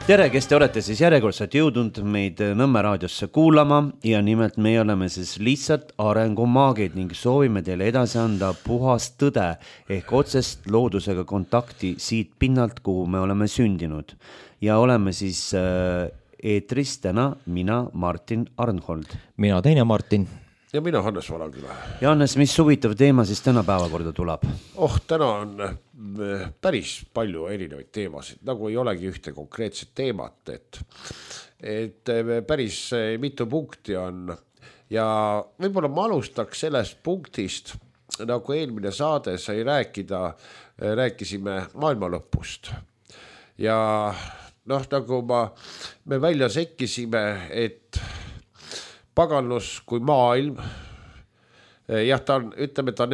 Tere, kes te olete siis järjekordselt jõudnud meid Nõmme raadiosse kuulama ja nimelt meie oleme siis lihtsalt arengumaagid ning soovime teile edasi anda puhast tõde ehk otsest loodusega kontakti siit pinnalt, kuhu me oleme sündinud. Ja oleme siis eetris täna mina, Martin Arnhold. Mina teine Martin. Ja mina Hannes Valaküla. Ja Hannes, mis huvitav teema siis täna päevakorda tuleb? Täna on päris palju erinevaid teemasid, nagu ei olegi ühte konkreetset teemat, et päris mitu punkti on ja võib-olla ma alustaks sellest punktist, nagu eelmine saade sai rääkisime maailma lõpust ja nagu me välja sekkisime, et paganlus kui maailm, jah, ta on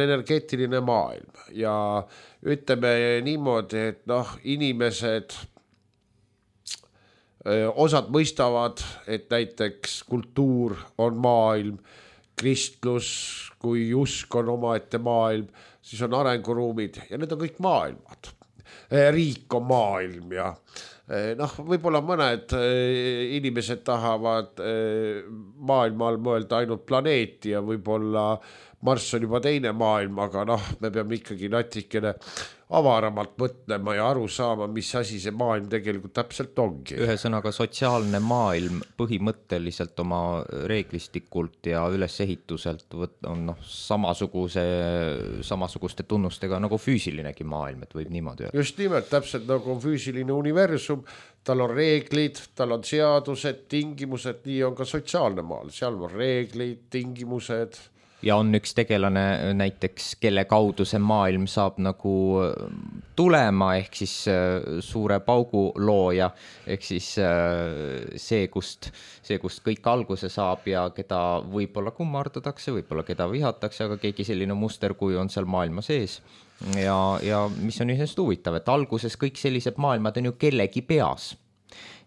energeetiline maailm ja ütleme niimoodi, et inimesed, osad mõistavad, et näiteks kultuur on maailm, kristlus kui usk on omaette maailm, siis on arenguruumid ja need on kõik maailmad. Riik on maailm ja võib-olla mõned inimesed tahavad maailma all mõelda ainult planeeti ja võib-olla Marss on juba teine maailm, aga me peame ikkagi natikene avaramalt mõtlema ja aru saama, mis asi see maailm tegelikult täpselt ongi. Ühesõnaga sotsiaalne maailm põhimõtteliselt oma reeglistikult ja ülesehituselt on samasuguste tunnustega nagu füüsilinegi maailm, et võib niimoodi öelda. Just nimelt, täpselt nagu on füüsiline universum, tal on reeglid, tal on seadused, tingimused, nii on ka sotsiaalne maal, seal on reeglid, tingimused. Ja on üks tegelane näiteks, kelle kaudu see maailm saab nagu tulema, ehk siis suure paugu looja, ehk siis see, kust kõik alguse saab ja keda võib-olla kummardatakse, võib-olla keda vihatakse, aga keegi selline muster, kui on seal maailma sees. Ja mis on ühest huvitav, et alguses kõik sellised maailmad on ju kellegi peas.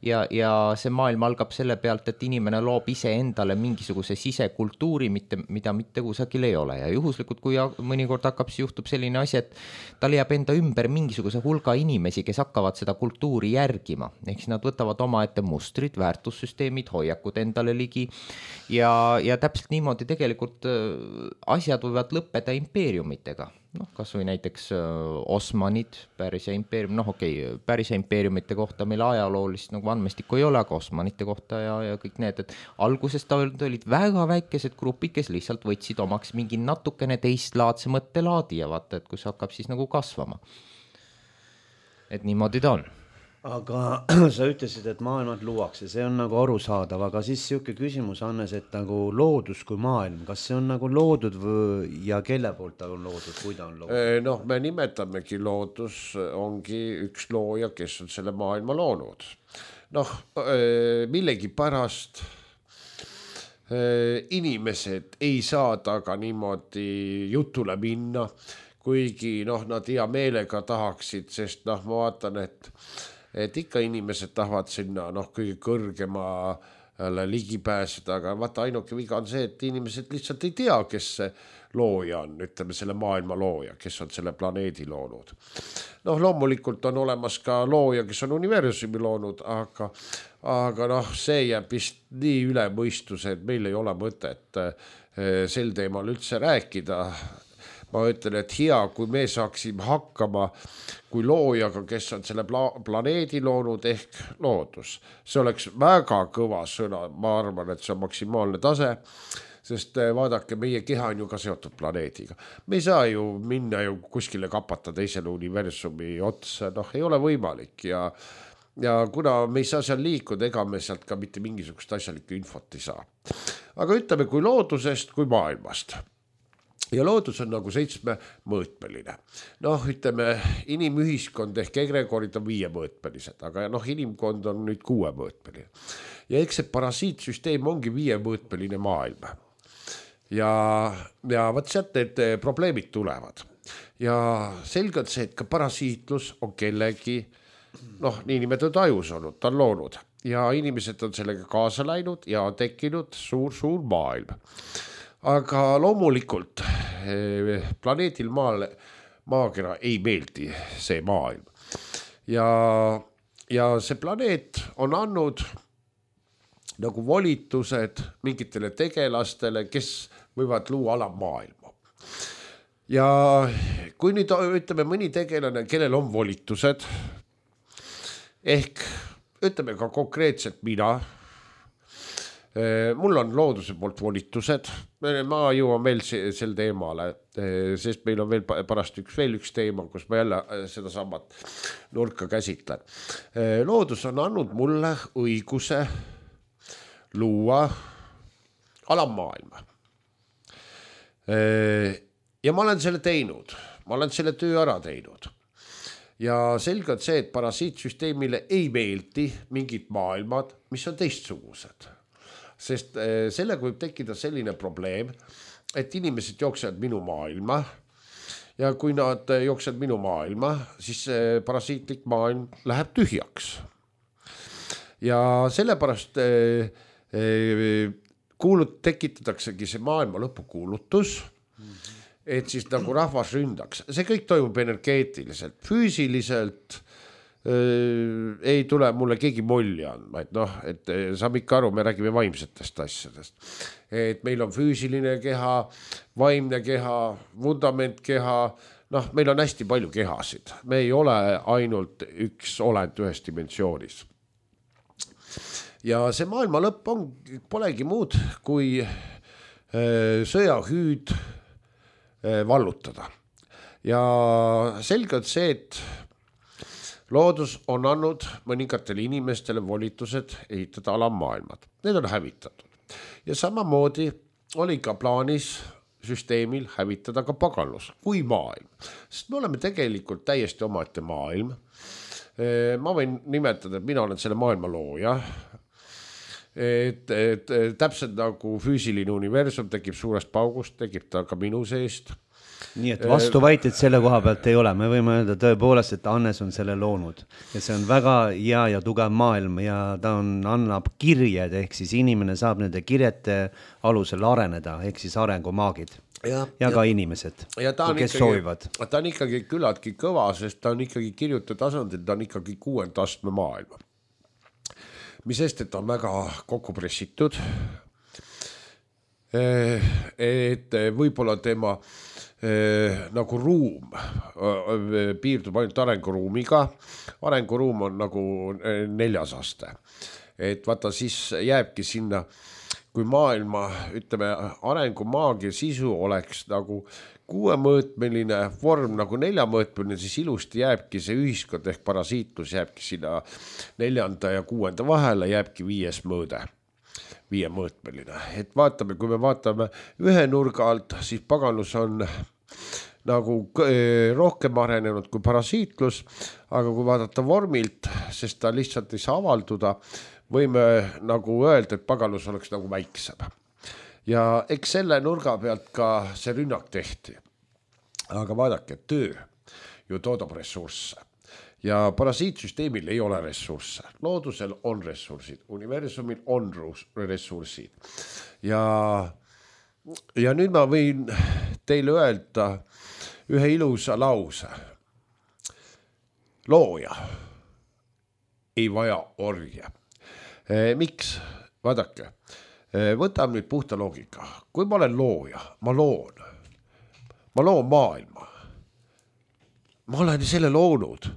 Ja see maailm algab selle pealt, et inimene loob ise endale mingisuguse sisekultuuri, mida mitte kusagil ei ole. Ja juhuslikult, kui mõnikord juhtub selline asi, et tal jääb enda ümber mingisuguse hulga inimesi, kes hakkavad seda kultuuri järgima. Ehk siis nad võtavad omaette mustrid, väärtussüsteemid, hoiakud endale ligi. Ja täpselt niimoodi tegelikult asjad võivad lõppeda impeeriumitega. Kas või näiteks Osmanid, Pärsia impeerium, Pärsia impeeriumite kohta meil ajaloolist nagu andmestikku ei ole, aga Osmanite kohta ja kõik need, et alguses olid väga väikesed grupid, kes lihtsalt võtsid omaks mingi natukene teistlaadse mõttelaadi ja vaata, et kus hakkab siis nagu kasvama. Et niimoodi ta on. Aga sa ütlesid, et maailmad luuakse, see on nagu arusaadav, aga siis siuke küsimus, Hannes, et nagu loodus kui maailm, kas see on nagu loodud ja kelle poolt ta on loodud, kui ta on loodud? Me nimetamegi loodus, ongi üks looja, kes on selle maailma loonud. Millegi pärast inimesed ei saa taga niimoodi jutule minna, kuigi nad hea meelega tahaksid, sest ma vaatan, et ikka inimesed tahavad sinna kõige kõrgemale ligi pääseda, aga vaata ainuke viga on see, et inimesed lihtsalt ei tea, kes see looja on, ütleme selle maailma looja, kes on selle planeedi loonud. Loomulikult on olemas ka looja, kes on universumi loonud, aga see jääb vist nii üle mõistuse, et meil ei ole mõtet sel teemal üldse rääkida. Ma ütlen, et hea, kui me saaksime hakkama kui loojaga, kes on selle planeedi loonud ehk loodus. See oleks väga kõva sõna, ma arvan, et see on maksimaalne tase, sest vaadake, meie keha on ju ka seotud planeediga. Me ei saa ju minna ju kuskile kapata teisele universumi otsa, ei ole võimalik ja kuna me ei saa seal liikuda, ega me sealt ka mitte mingisugust asjalikku infot ei saa. Aga ütleme kui loodusest, kui maailmast. Ja loodus on nagu 7-mõõtmeline. Ütleme, inimühiskond ehk egregorid on 5-mõõtmelised, aga inimkond on nüüd 6-mõõtmeline. Ja eks see parasiitsüsteem ongi 5-mõõtmeline maailm. Ja võt sealt need probleemid tulevad. Ja selge on see, et ka parasiitlus on kellegi, niinimetatud ajus olnud, ta on loonud. Ja inimesed on sellega kaasa läinud ja on tekkinud suur maailm. Aga loomulikult planeedil maakera ei meeldi see maailm. Ja ja see planeet on andnud nagu volitused mingitele tegelastele, kes võivad luua alamaailma. Ja kui nüüd ütleme mõni tegelane, kellel on volitused, ehk ütleme ka konkreetselt mina, mul on looduse poolt volitused, ma jõuan veel sel teemale, sest meil on veel pärast veel üks teema, kus ma jälle seda samat nurka käsitlen. Loodus on andnud mulle õiguse luua alammaailma. Ja ma olen selle teinud, ma olen selle töö ära teinud. Ja selge on see, et parasiitsüsteemile ei meeldi mingid maailmad, mis on teistsugused. Sest sellega võib tekkida selline probleem, et inimesed jooksevad minu maailma ja kui nad jooksevad minu maailma, siis parasiitlik maailm läheb tühjaks. Ja sellepärast tekitataksegi see maailma lõpukuulutus, et siis nagu rahvas ründaks. See kõik toimub energeetiliselt, füüsiliselt ei tule mulle keegi molli andma, et noh, et saab ikka aru, me räägime vaimsetest asjadest. Et meil on füüsiline keha, vaimne keha, vundament-keha, noh, meil on hästi palju kehasid. Me ei ole ainult üks olend ühes dimensioonis. Ja see maailma lõpp polegi muud kui sõjahüüd vallutada. Ja selge on see, et loodus on andnud mõningatele inimestele volitused ehitada alammaailmad. Need on hävitatud. Ja samamoodi oli ka plaanis süsteemil hävitada ka paganlus kui maailm. Sest me oleme tegelikult täiesti omaette maailm. Ma võin nimetada, et mina olen selle maailma looja. Et täpselt nagu füüsiline universum tekib suurest paugust, tekib ta ka minu seest. Nii et vastuväited selle koha pealt ei ole. Me võime öelda tõepoolest, et Hannes on selle loonud. Ja see on väga hea ja tugev maailm ja ta annab kirjed, ehk siis inimene saab nende kirjete alusel areneda, ehk siis arengumaagid. Ja ka inimesed, kes soovivad. Ta on ikkagi küllaltki kõva, sest ta on ikkagi kirjutatud tasandil, ta on ikkagi 6. astme maailma. Mis eest, et ta on väga kokku pressitud, et võib-olla tema nagu ruum piirdub ainult arenguruumiga. Arenguruum on nagu 4. aste. Et vaata, siis jääbki sinna, kui maailma, ütleme, arengumaagia sisu oleks nagu 6-mõõtmeline vorm, nagu 4-mõõtmeline, siis ilusti jääbki see ühiskond ehk parasiitlus jääbki sinna 4. ja 6. vahele, jääbki 5. mõõde. 5-mõõtmeline. Et vaatame, kui me vaatame ühe nurga alt, siis paganlus on nagu rohkem arenenud kui parasiitlus, aga kui vaadata vormilt, sest ta lihtsalt ei saa avalduda, võime nagu öelda, et paganlus oleks nagu väiksem. Ja eks selle nurga pealt ka see rünnak tehti. Aga vaadake, töö ju toodab ressursse. Ja parasiitsüsteemil ei ole ressursse. Loodusel on ressursid, universumil on ressursid. Ja nüüd ma võin teile öelda ühe ilusa lause. Looja ei vaja orje. Miks? Vaadake, võtam nüüd puhta loogika. Kui ma olen looja, ma loon maailma. Ma olen selle loonud.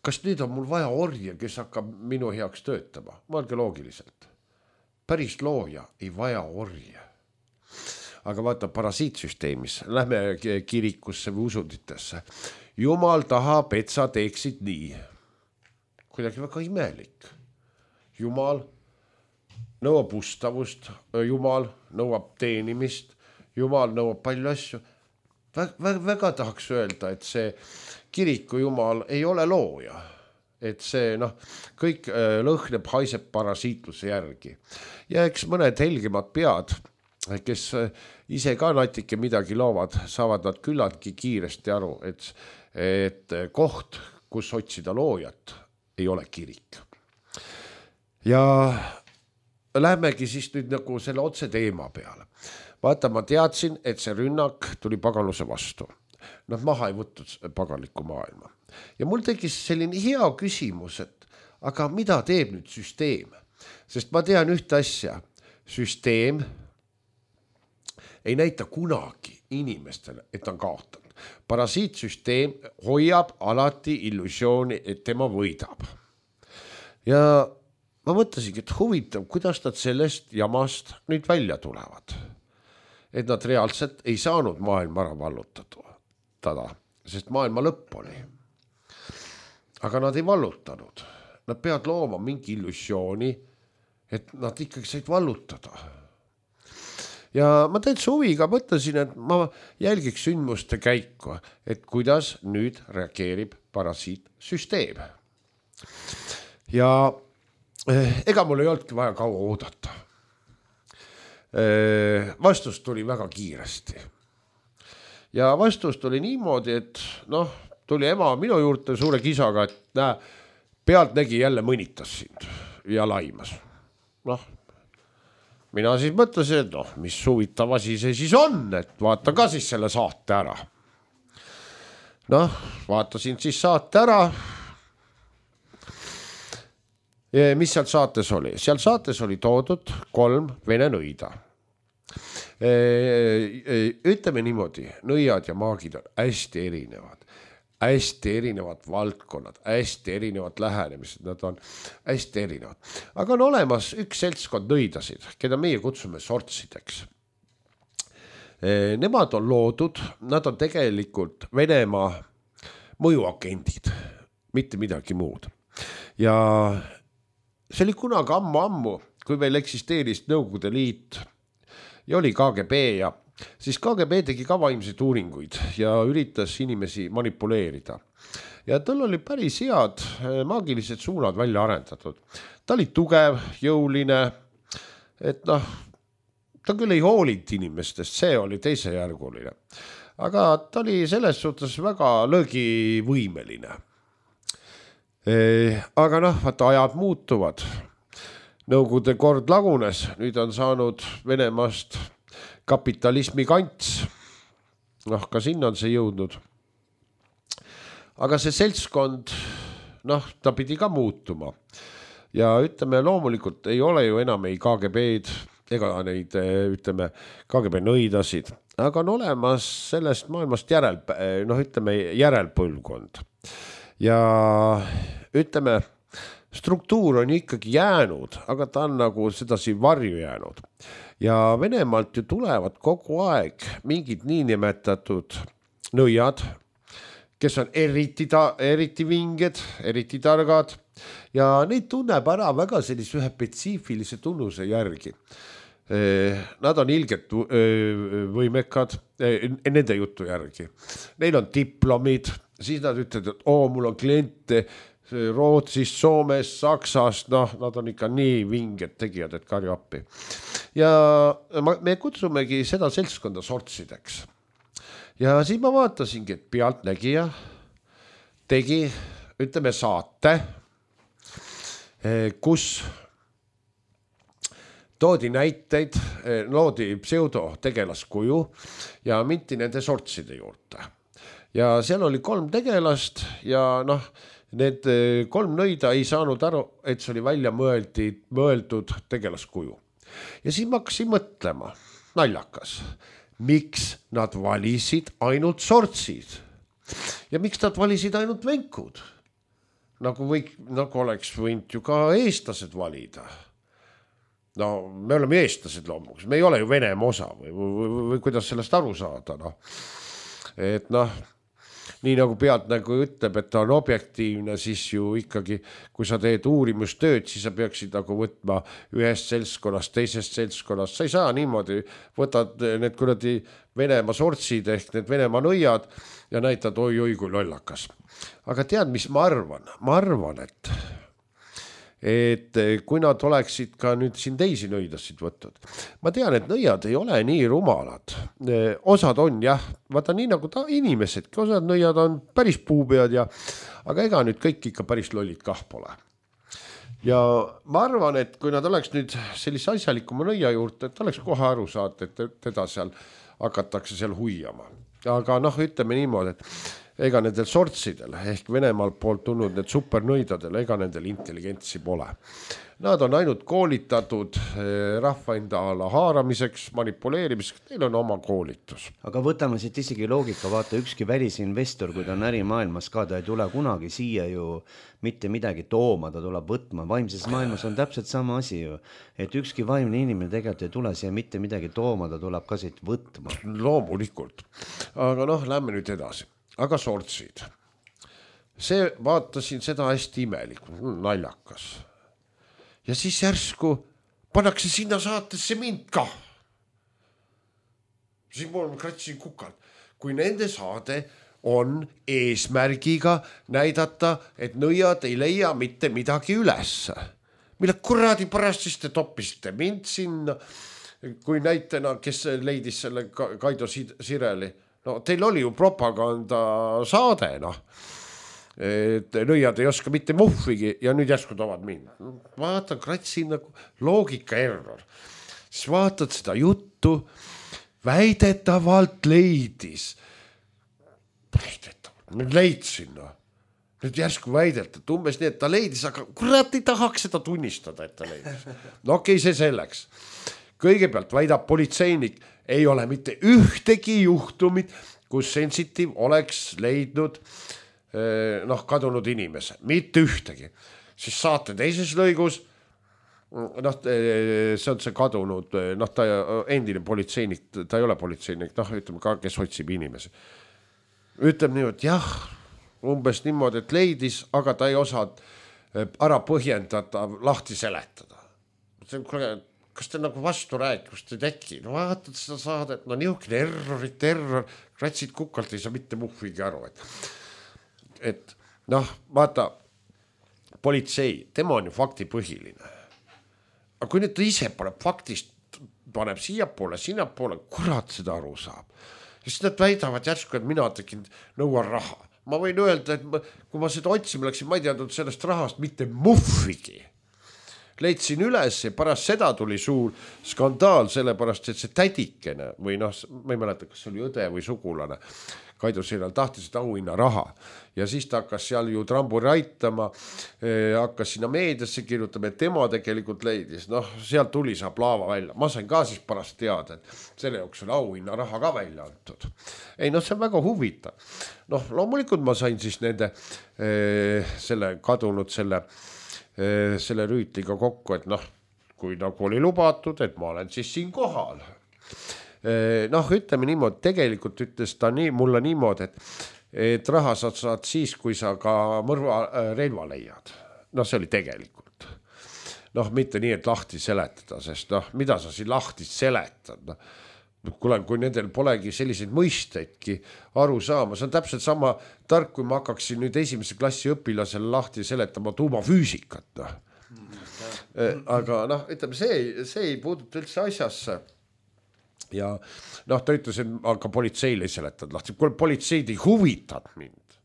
Kas nüüd on mul vaja orje, kes hakkab minu heaks töötama? Mõelge loogiliselt. Päris looja ei vaja orje. Aga vaata parasiitsüsteemis, lähme kirikusse või usunditesse. Jumal tahab, et sa teeksid nii. Kuidagi väga imelik. Jumal nõuab ustavust, Jumal nõuab teenimist, Jumal nõuab palju asju. Väga tahaks öelda, et see kiriku Jumal ei ole looja. Et see kõik lõhneb, haiseb parasiitluse järgi. Ja eks mõned helgemad pead, kes ise ka natuke midagi loovad, saavad nad küllaltki kiiresti aru, et koht, kus otsida loojat, ei ole kirik. Ja lähmegi siis nüüd nagu selle otse teema peale. Vaata, ma teadsin, et see rünnak tuli paganluse vastu. Nad maha ei võtnud paganlikku maailma. Ja mul tekkis selline hea küsimus, et aga mida teeb nüüd süsteem? Sest ma tean ühte asja, süsteem ei näita kunagi inimestele, et on kaotanud. Parasiitsüsteem hoiab alati illusiooni, et tema võidab. Ja ma mõtlesingi, et huvitav, kuidas nad sellest jamast nüüd välja tulevad. Et nad reaalselt ei saanud maailma ära vallutada, sest maailma lõpp oli. Aga nad ei vallutanud. Nad peavad looma mingi illusiooni, et nad ikkagi said vallutada. Ja ma täitsa huviga mõtlesin, et ma jälgiks sündmuste käiku, et kuidas nüüd reageerib parasiitsüsteem. Ja ega mul ei olnudki vaja kaua oodata. Vastus tuli väga kiiresti. Ja vastus tuli niimoodi, et tuli ema minu juurde suure kisaga, et näe, pealtnägi jälle mõnitas sind ja laimas. Mina siis mõtlesin, et mis huvitav asi see siis on, et vaata ka siis selle saate ära. Vaatasin siis saate ära. Mis seal saates oli? Seal saates oli toodud 3 vene nõida. Ütleme niimoodi, nõiad ja maagid on hästi erinevad valdkonnad, hästi erinevad lähenemised, nad on hästi erinevad. Aga on olemas üks seltskond nõidasid, keda meie kutsume sortsideks. Nemad on loodud, nad on tegelikult Venemaa mõjuagendid, mitte midagi muud. Ja see oli kunagi ammu, kui meil eksisteeris Nõukogude Liit ja oli KGB ja siis KGB tegi ka vaimseid uuringuid ja üritas inimesi manipuleerida. Ja tal oli päris head maagilised suunad välja arendatud. Ta oli tugev, jõuline, et ta küll ei hoolinud inimestest, see oli teisejärguline. Aga ta oli selles suhtes väga löögivõimeline. Aga vaata ajad muutuvad. Nõukogude kord lagunes, nüüd on saanud Venemaast kapitalismi kants. Ka sinna on see jõudnud. Aga see seltskond, ta pidi ka muutuma. Ja ütleme, loomulikult ei ole ju enam ei KGB-d ega neid, ütleme, KGB nõidasid. Aga on olemas sellest maailmast järelpõlvkond. Ja ütleme, struktuur on ikkagi jäänud, aga ta on nagu sedasi varju jäänud. Ja Venemaalt ju tulevad kogu aeg mingid niinimetatud nõiad, kes on eriti vinged, eriti targad ja neid tunneb ära väga sellise ühe spetsiifilise tunnuse järgi. Nad on ilgelt võimekad, nende jutu järgi. Neil on diplomid, siis nad ütlevad, et mul on kliente Rootsist, Soomest, Saksast, nad on ikka nii vinged tegijad, et karju appi. Ja me kutsumegi seda seltskonda sortsideks. Ja siis ma vaatasingi, et pealtnägija tegi, ütleme, saate, kus toodi näiteid, loodi pseudotegelaskuju ja minti nende sortside juurde. Ja seal oli 3 tegelast ja need 3 nõida ei saanud aru, et see oli välja mõeldud tegelaskuju. Ja siis ma hakkasin mõtlema, naljakas, miks nad valisid ainult sortsid ja miks nad valisid ainult venkud? Nagu oleks võinud ju ka eestlased valida. Me oleme eestlased loomulikult, me ei ole ju Venemaa osa või kuidas sellest aru saada. Et nii nagu pealtnägu ütleb, et ta on objektiivne, siis ju ikkagi, kui sa teed uurimustööd, siis sa peaksid nagu võtma ühest seltskonnast, teisest seltskonnast. Sa ei saa niimoodi, võtad need kuradi Venemaa sortsid ehk need Venemaa nõiad ja näitad oi kui lollakas. Aga tead, mis ma arvan? Ma arvan, et kui nad oleksid ka nüüd siin teisi nõidasid võtnud. Ma tean, et nõiad ei ole nii rumalad. Osad on jah, vaata nii nagu inimesedki, osad nõiad on päris puupead aga ega nüüd kõik ikka päris lollid kah pole. Ja ma arvan, et kui nad oleks nüüd sellise asjalikuma nõia juurde, et oleks kohe aru saada, et teda seal hakatakse seal huiama. Aga ütleme niimoodi, et ega nendel sortsidel ehk Venemaalt poolt tulnud need supernõidadel, ega nendel intelligentsi pole. Nad on ainult koolitatud rahva enda ala haaramiseks, manipuleerimiseks, neil on oma koolitus. Aga võtame siit isegi loogika, vaata ükski välisinvestor, kui ta on ärimaailmas ka, ta ei tule kunagi siia ju mitte midagi tooma, ta tuleb võtma. Vaimses maailmas on täpselt sama asi ju, et ükski vaimne inimene tegelikult ei tule siia mitte midagi tooma, ta tuleb ka siit võtma. Loomulikult. Aga lähme nüüd edasi. Aga sortsid. See vaatasin seda hästi imelik, naljakas. Ja siis järsku pannakse sinna saatesse mind ka. Siis ma kratsin kukalt. Kui nende saade on eesmärgiga näidata, et nõiad ei leia mitte midagi üles. Mille kuradi pärast siis te toppisite mind sinna, kui näitena, kes leidis selle Kaido Sireli. No teil oli ju propaganda saade, et nõiad ei oska mitte muhvigi ja nüüd järsku toovad mind. Vaatan, kratsin nagu loogika error. Siis vaatad seda juttu, väidetavalt leidis. Nüüd leidsin, Nüüd järsku väidetavalt, umbes nii, et ta leidis, aga kurat ei tahaks seda tunnistada, et ta leidis. No okei, see selleks. Kõigepealt väidab politseinik, ei ole mitte ühtegi juhtumit, kus sensitive oleks leidnud kadunud inimese, mitte ühtegi. Siis saate teises lõigus, see on see kadunud, ta endine politseinik, ta ei ole politseinik, ütleme ka, kes otsib inimesi. Ütleb nii, et jah, umbes niimoodi, et leidis, aga ta ei osa ära põhjendada, lahti seletada. Kas te nagu vastu rääkust ei teki? No vaatad seda saadet, niisugune error, kratsid kukalt, ei saa mitte muhvigi aru, et vaata, politsei, tema on ju faktipõhiline. Aga kui nüüd ta ise paneb siiapoole, sinnapoole, kurat seda aru saab. Ja siis nad väidavad järsku, et mina tegin nõuan raha. Ma võin öelda, et kui ma seda otsima läksin, ma ei teadnud sellest rahast mitte muhvigi. Leidsin üles ja pärast seda tuli suur skandaal, sellepärast, et see tädikene või ma ei mäleta, kas see oli õde või sugulane, Kaido Sirel tahtis seda auhinna raha ja siis ta hakkas seal ju tramburi aitama, hakkas sinna meediasse kirjutama, et tema tegelikult leidis, seal tuli saab laava välja. Ma sain ka siis pärast teada, et selle jooksul auhinna raha ka välja antud. Ei, see on väga huvitav. Loomulikult ma sain siis nende selle kadunud selle rüütliga kokku, et kui nagu oli lubatud, et ma olen siis siin kohal. Ütleme niimoodi, tegelikult ütles ta mulle niimoodi, et raha saad siis, kui sa ka relva leiad. See oli tegelikult. Mitte nii, et lahti seletada, sest mida sa siin lahti seletad? Kui nendel polegi selliseid mõisteidki aru saama, see on täpselt sama tark, kui ma hakkaksin nüüd esimese klassi õpilasele lahti seletama tuumafüüsikat. Aga ütleme, see ei puuduta üldse asjasse. Ja ta ütles, et aga politseile ei seletad lahti. Kui politseid ei huvitad mind,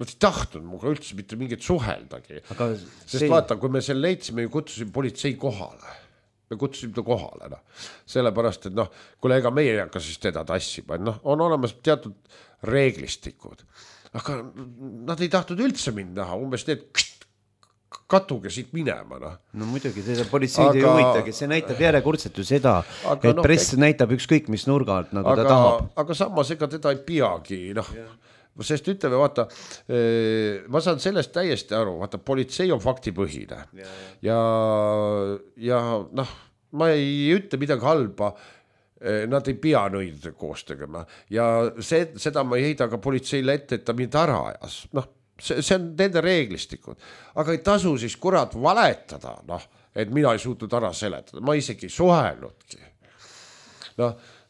nad ei tahtnud muga üldse mitte mingit suheldagi. Sest vaata, kui me selle leidsime, kutsusime politsei kohale. Me kutsusime ta kohale. Sellepärast, et kuule, ega meie ei hakka siis teda tassima. On olemas teatud reeglistikud. Aga nad ei tahtnud üldse mind näha. Umbes need katuge siit minema. No muidugi, seda politseid ei huvitagi, see näitab järjekordselt ju seda, et press näitab ükskõik mis nurga alt, nagu ta tahab. Aga samas ega teda ei peagi, sest ütleme, vaata, ma saan sellest täiesti aru, vaata, politsei on faktipõhine ja ma ei ütle midagi halba, nad ei pea nõidade koos tegema ja seda ma ei heida ka politseile ette, et ta mind ära ajas, see on nende reeglistikud, aga ei tasu siis kurat valetada, et mina ei suutnud ära seletada, ma isegi suhelnudki.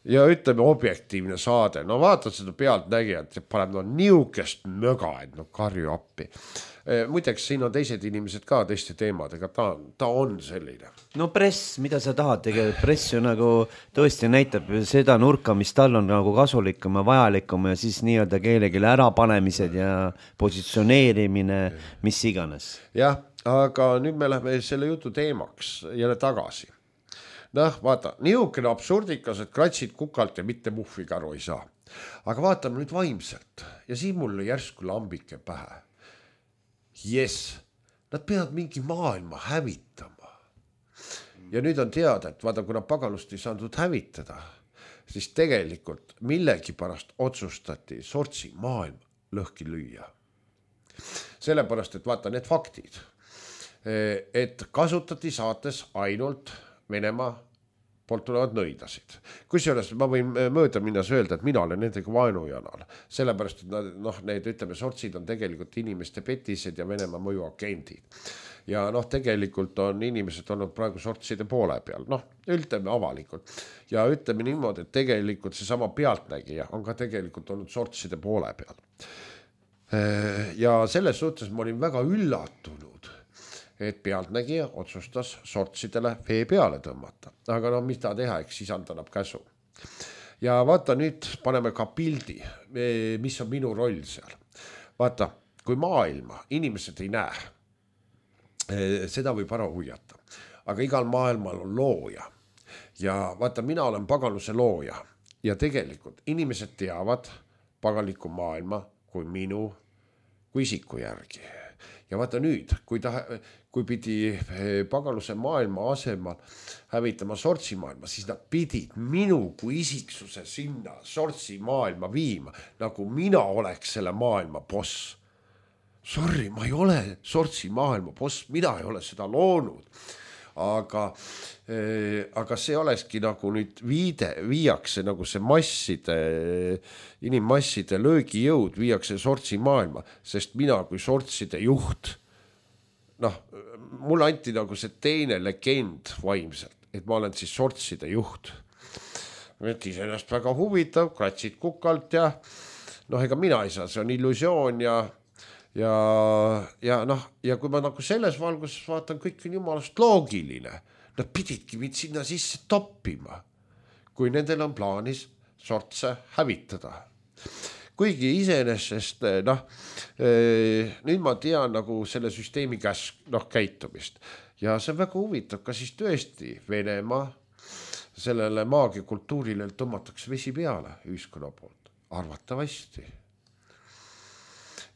Ja ütleme objektiivne saade, vaatad seda pealtnägijat ja paneb niukest möga, et karju appi. Muideks, siin on teised inimesed ka teiste teemadega, ta on selline. No press, mida sa tahad tegelikult, press ju nagu tõesti näitab seda nurka, mis tal on nagu kasulikum ja vajalikum ja siis nii-öelda keelegile ärapanemised ja positsioneerimine, mis iganes. Jah, aga nüüd me läheme selle jutu teemaks jälle tagasi. Vaata, niisugune absurdikas, et kratsid kukalt ja mitte muhviga aru ei saa. aga vaatame nüüd vaimselt ja siin mul järsku lambike pähe. Yes, nad peavad mingi maailma hävitama. Ja nüüd on teada, et vaata, kuna pagalust ei saanud hävitada, siis tegelikult millegi pärast otsustati sortsi maailm lõhki lüüa. Sellepärast, et vaata need faktid, et kasutati saates ainult Venemaa poolt tulevad nõidasid. Kusjuures ma võin mööda minnes öelda, et mina olen nendega vaenujanal, sellepärast, et need ütleme, sortsid on tegelikult inimeste petised ja Venemaa mõjuagendid. Ja tegelikult on inimesed olnud praegu sortside poole peal, ütleme avalikult. Ja ütleme niimoodi, et tegelikult see sama pealtnägija on ka tegelikult olnud sortside poole peal. Ja selles suhtes ma olin väga üllatunud, et pealtnägija otsustas sortsidele vee peale tõmmata. Aga mis ta teha, eks isand annab käsu. Ja vaata, nüüd paneme ka pildi, mis on minu roll seal. Vaata, kui maailma inimesed ei näe, seda võib ära huiata. Aga igal maailmal on looja. Ja vaata, mina olen pagaluse looja. Ja tegelikult inimesed teavad pagaliku maailma kui minu, kui isiku järgi. Ja vaata nüüd, kui pidi pagaluse maailma asemal hävitama sortsi maailma, siis nad pidid minu kui isiksuse sinna sortsi maailma viima, nagu mina oleks selle maailma boss. Sorry, ma ei ole sortsi maailma boss, mina ei ole seda loonud. Aga see olekski nagu nüüd viiakse nagu see inimmasside löögijõud viiakse sortsi maailma, sest mina kui sortside juht, mulle anti nagu see teine legend vaimselt, et ma olen siis sortside juht. Et iseenesest väga huvitav, kratsid kukalt ja ega mina ei saa, see on illusioon ja kui ma nagu selles valguses vaatan, kõik on jumalast loogiline. Nad pididki mind sinna sisse toppima, kui nendel on plaanis sortse hävitada. Kuigi iseenesest, nüüd ma tean nagu selle süsteemi käitumist. Ja see on väga huvitav, kas siis tõesti Venemaa sellele maagiakultuurile tõmmatakse vesi peale ühiskonna poolt. Arvatavasti.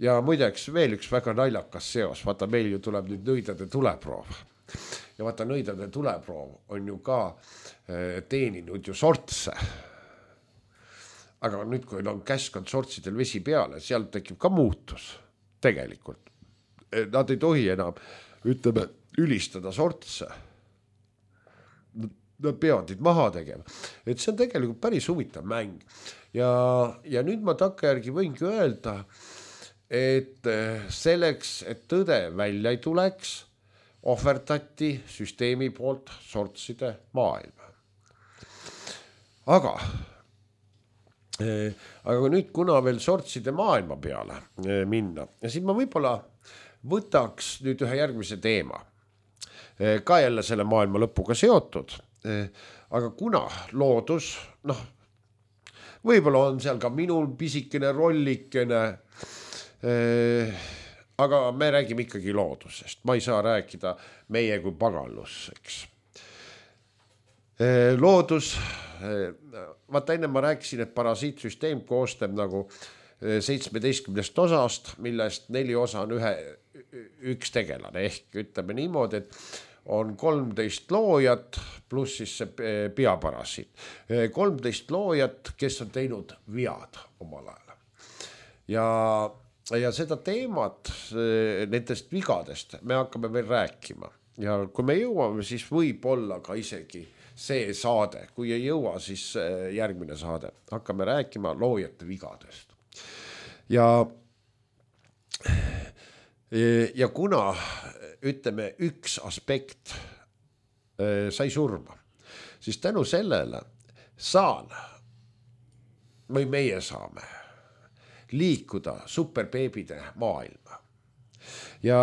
Ja muideks veel üks väga naljakas seos, vaata meil ju tuleb nüüd nõidade tuleproov. Ja vaata nõidade tuleproov on ju ka teeninud ju sortse. Aga nüüd, kui on käskanud sortsidel vesi peale, seal tekib ka muutus tegelikult. Nad ei tohi enam, ütleme, ülistada sortse. Nad peavad neid maha tegema. Et see on tegelikult päris huvitav mäng. Ja nüüd ma takkajärgi võingi öelda, et selleks, et tõde välja ei tuleks, ohverdati süsteemi poolt sortside maailma. Aga nüüd, kuna veel sortside maailma peale minna, ja siis ma võib-olla võtaks nüüd ühe järgmise teema. Ka jälle selle maailma lõpuga seotud, aga kuna loodus, võib-olla on seal ka minul pisikene rollikene, aga me räägime ikkagi loodusest. Ma ei saa rääkida meie kui pagalus, eks. Loodus, vaata enne ma rääkisin, et parasiitsüsteem koostab nagu 17 osast, millest 4 osa on üks tegelane. Ehk ütleme niimoodi, et on 13 loojat pluss siis see peaparasiit. 13 loojat, kes on teinud vead omal ajal. Ja seda teemat nendest vigadest me hakkame veel rääkima. Ja kui me jõuame, siis võib olla ka isegi see saade. Kui ei jõua, siis järgmine saade. Hakkame rääkima loojate vigadest. Ja kuna, ütleme, üks aspekt sai surma, siis tänu sellele meie saame liikuda superbeebide maailma. Ja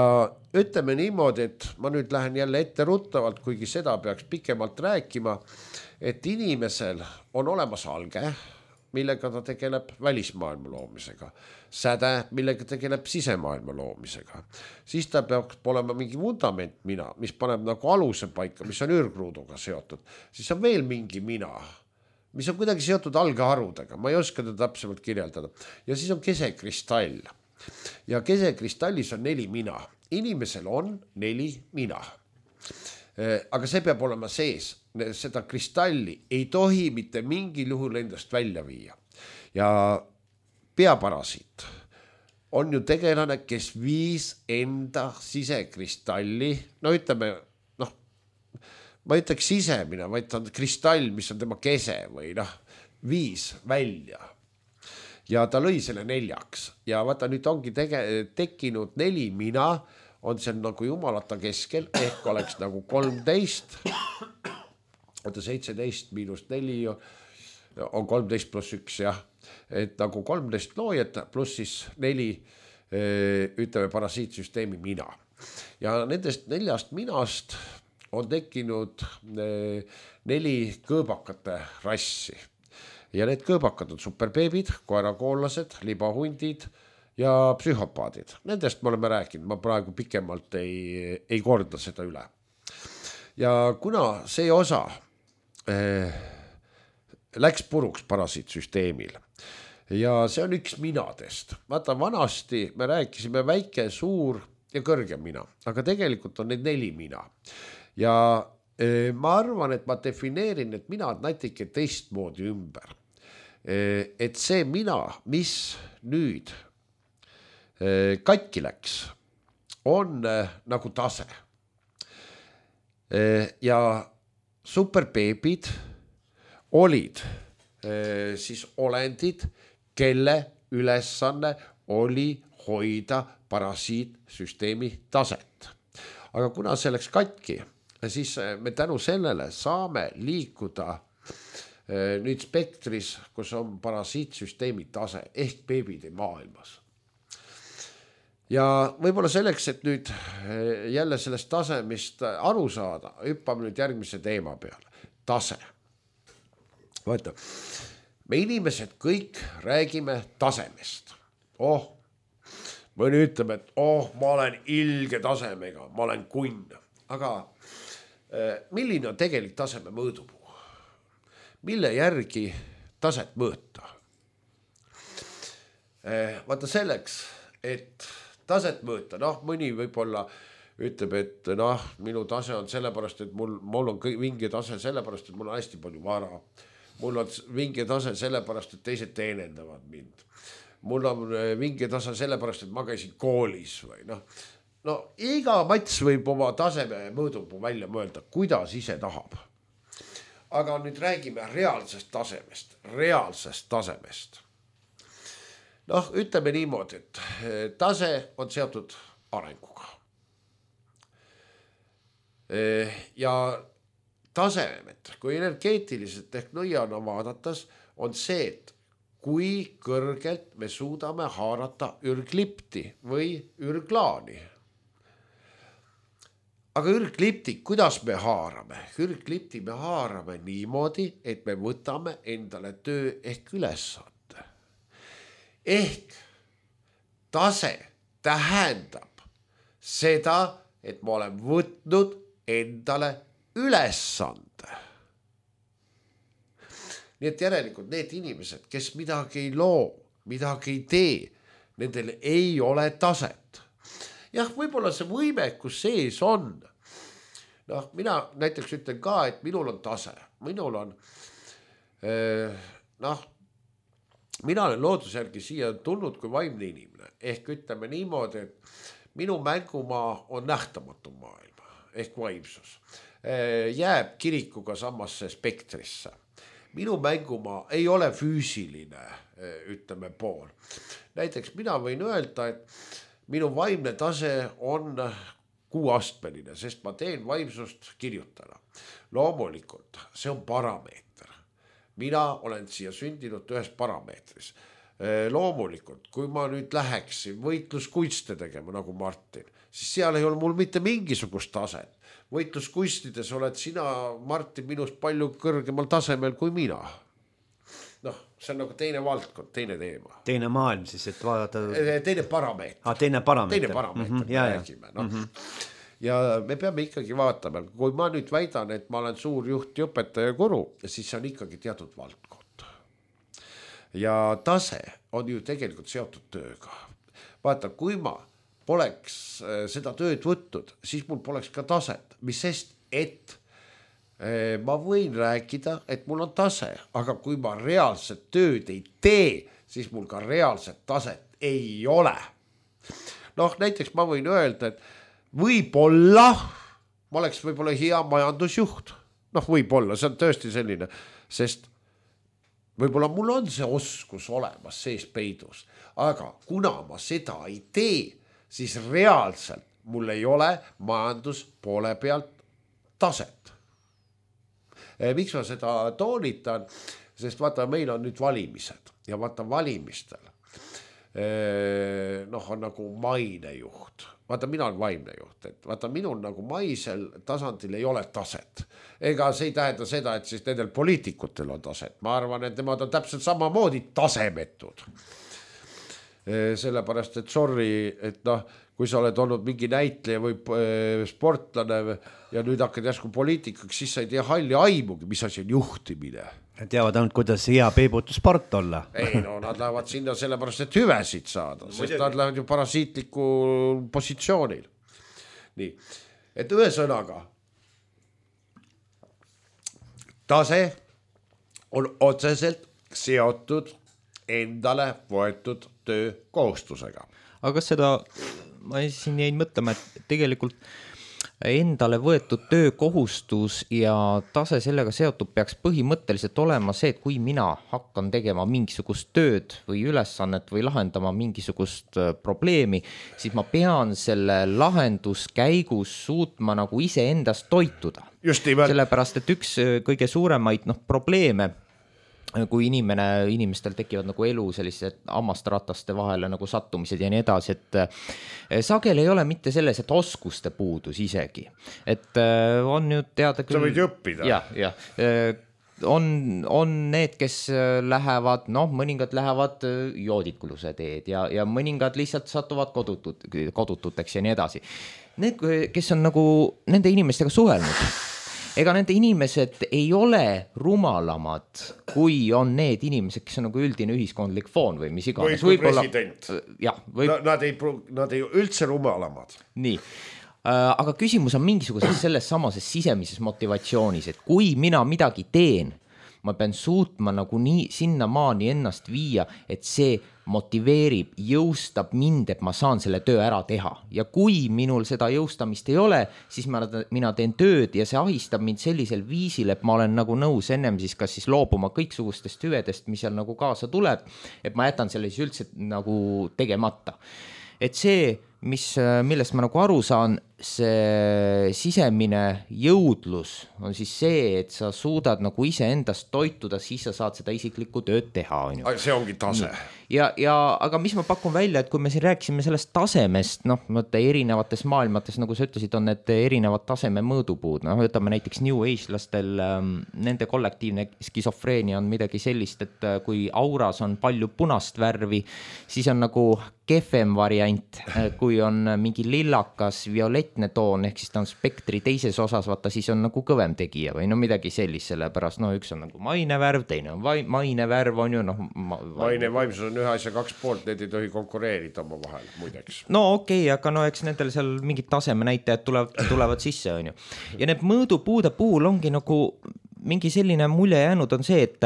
ütleme niimoodi, et ma nüüd lähen jälle ette ruttavalt, kuigi seda peaks pikemalt rääkima, et inimesel on olemas alge, millega ta tegeleb välismaailma loomisega, säde, millega tegeleb sisemaailma loomisega. Siis ta peaks olema mingi vundament mis paneb nagu aluse paika, mis on ürgruuduga seotud. Siis on veel mingi mina, mis on kuidagi seotud algeharudega, ma ei oska teda täpsemalt kirjeldada. Ja siis on kesekristall. Ja kesekristallis on 4 mina. Inimesel on 4 mina. Aga see peab olema sees. Seda kristalli ei tohi mitte mingil juhul endast välja viia. Ja peaparasiit on ju tegelane, kes viis enda sisekristalli, no ütleme, ma ütleks sisemine, vaid ta on kristall, mis on tema kese või viis välja. Ja ta lõi selle 4. Ja vaata, nüüd ongi tekkinud 4 mina, on seal nagu jumalata keskel, ehk oleks nagu 13, 17 miinus 4 on 13 pluss 1, jah. Et nagu 13 loojat pluss siis 4, ütleme, parasiitsüsteemi mina. Ja nendest 4 minast on tekkinud 4 kõõbakate rassi. Ja need kõõbakad on superbeebid, koerakoollased, libahundid ja psühhopaadid. Nendest me oleme rääkinud, ma praegu pikemalt ei korda seda üle. Ja kuna see osa läks puruks parasiitsüsteemil ja see on üks minadest. Vaata, vanasti me rääkisime väike, suur ja kõrge mina, aga tegelikult on need 4 mina. Ja ma arvan, et ma defineerin need minad natuke teistmoodi ümber. Et see mina, mis nüüd katki läks, on nagu tase. Ja superbeebid olid siis olendid, kelle ülesanne oli hoida parasiitsüsteemi taset. Aga kuna see läks katki, siis me tänu sellele saame liikuda nüüd spektris, kus on parasiitsüsteemi tase ehk beebide maailmas. Ja võib-olla selleks, et nüüd jälle sellest tasemist aru saada, hüppame nüüd järgmise teema peale. Tase. Vaata, me inimesed kõik räägime tasemest. Mõni ütleb, et ma olen ilge tasemega, ma olen kunn. Aga milline on tegelik taseme mõõdupuu? Mille järgi taset mõõta? Vaata selleks, et taset mõõta, mõni võib-olla ütleb, et minu tase on sellepärast, et mul on vinge tase sellepärast, et mul on hästi palju vara. Mul on vinge tase sellepärast, et teised teenendavad mind. Mul on vinge tase sellepärast, et ma käisin koolis või iga mats võib oma taseme mõõdupuu välja mõelda, kuidas ise tahab. Aga nüüd räägime reaalsest tasemest. Ütleme niimoodi, et tase on seotud arenguga. Ja tasemed, kui energeetiliselt ehk nõiana vaadatas, on see, et kui kõrgelt me suudame haarata ürglipti või ürglaani. Aga ürglipti, kuidas me haarame? Ürglipti me haarame niimoodi, et me võtame endale töö ehk ülesande. Ehk tase tähendab seda, et ma olen võtnud endale ülesande. Nii et järelikult need inimesed, kes midagi ei loo, midagi ei tee, nendel ei ole taset. Jah, võib-olla see võimekus sees on. Mina näiteks ütlen ka, et minul on tase. Minul on, mina olen loodusjärgi siia tulnud kui vaimne inimene. Ehk ütleme niimoodi, et minu mängumaa on nähtamatu maailma, ehk vaimsus. Jääb kirikuga samasse spektrisse. Minu mängumaa ei ole füüsiline, ütleme pool. Näiteks mina võin öelda, et minu vaimne tase on 6-astmeline, sest ma teen vaimsust kirjutada. Loomulikult, see on parameeter. Mina olen siia sündinud ühes parameetris. Loomulikult, kui ma nüüd läheksin võitluskunste tegema nagu Martin, siis seal ei ole mul mitte mingisugust taset. Võitluskunstides oled sina, Martin, minust palju kõrgemal tasemel kui mina. See on nagu teine valdkond, teine teema. Teine maailm siis, et vaadata... Teine parameeter. Teine parameeter. Teine parameeter, räägime. ja me peame ikkagi vaatama, kui ma nüüd väidan, et ma olen suur juht ja õpetaja guru, siis see on ikkagi teatud valdkond. Ja tase on ju tegelikult seotud tööga. Vaata, kui ma poleks seda tööd võtnud, siis mul poleks ka taset, mis sest, et ma võin rääkida, et mul on tase, aga kui ma reaalset tööd ei tee, siis mul ka reaalset taset ei ole. Noh, näiteks ma võin öelda, et võib-olla ma oleks võib-olla hea majandusjuht. Noh, võib-olla, see on tõesti selline, sest võib-olla mul on see oskus olemas sees peidus, aga kuna ma seda ei tee, siis reaalselt mul ei ole majanduspoole pealt taset. Miks ma seda toonitan? Sest vaata, meil on nüüd valimised ja vaata valimistel on nagu mainejuht. Vaata, mina olen vaimne juht, et vaata, minul nagu maisel tasandil ei ole taset. Ega see ei tähenda seda, et siis nendel poliitikutel on taset. Ma arvan, et nemad on täpselt samamoodi tasemetud. Sellepärast, et sorry, et kui sa oled olnud mingi näitleja või sportlane ja nüüd hakkad järsku poliitikaks, siis sa ei tea halli aimugi, mis asi on juhtimine. Teavad ainult, kuidas hea peibutusport olla. Ei, no nad lähevad sinna sellepärast, et hüvesid saada, sest nad lähevad ju parasiitliku positsioonil. Nii, et ühesõnaga, tase on otseselt seotud endale võetud töökohustusega. Aga seda, ma siin jäin mõtlema, et tegelikult endale võetud töökohustus ja tase sellega seotud peaks põhimõtteliselt olema see, et kui mina hakkan tegema mingisugust tööd või ülesannet või lahendama mingisugust probleemi, siis ma pean selle lahenduskäigus suutma nagu ise endast toituda. Sellepärast, et üks kõige suuremaid probleeme, kui inimestel tekivad nagu elu sellised hammastrataste vahele nagu sattumised ja nii edasi, et sageli ei ole mitte selles, et oskuste puudus isegi. Et on ju teada küll... Sa võid õppida. Ja. On need, kes lähevad, mõningad lähevad joodikuluse teed ja mõningad lihtsalt satuvad kodututeks ja nii edasi. Need, kes on nagu nende inimestega suhelnud, ega nende inimesed ei ole rumalamad, kui on need inimesed, kes on nagu üldine ühiskondlik foon või mis iganes. Või president. Nad ei üldse rumalamad. Nii, aga küsimus on mingisuguses selles samases sisemises motivatsioonis, et kui mina midagi teen, ma pean suutma nagu nii sinnamaani ennast viia, et see motiveerib, jõustab mind, et ma saan selle töö ära teha. Ja kui minul seda jõustamist ei ole, siis mina teen tööd ja see ahistab mind sellisel viisil, et ma olen nagu nõus ennem siis kas siis loobuma kõiksugustest hüvedest, mis seal nagu kaasa tuleb, et ma jätan selle siis üldse nagu tegemata. Et see, millest ma nagu aru saan, see sisemine jõudlus on siis see, et sa suudad nagu ise endast toituda, siis sa saad seda isiklikku tööd teha. See ongi tase. Aga mis ma pakun välja, et kui me siin rääkisime sellest tasemest, erinevates maailmates, nagu sa ütlesid, on need erinevad taseme mõõdupuud. Võtame näiteks New Age-lastel, nende kollektiivne skisofreenia on midagi sellist, et kui auras on palju punast värvi, siis on nagu kehvem variant, kui on mingi lillakas, violetne toon, ehk siis ta on spektri teises osas, vaata siis on nagu kõvem tegija või midagi sellist, sellepärast üks on nagu mainevärv, teine on mainevärv, on ju maine vaimsus on ühe asja 2 poolt, need ei tohi konkureerida oma vahel, muideks. Okei, aga eks nendel seal mingid taseme näitajad tulevad sisse, on ju. Ja need mõõdupuude puhul ongi nagu mingi selline mulje jäänud on see, et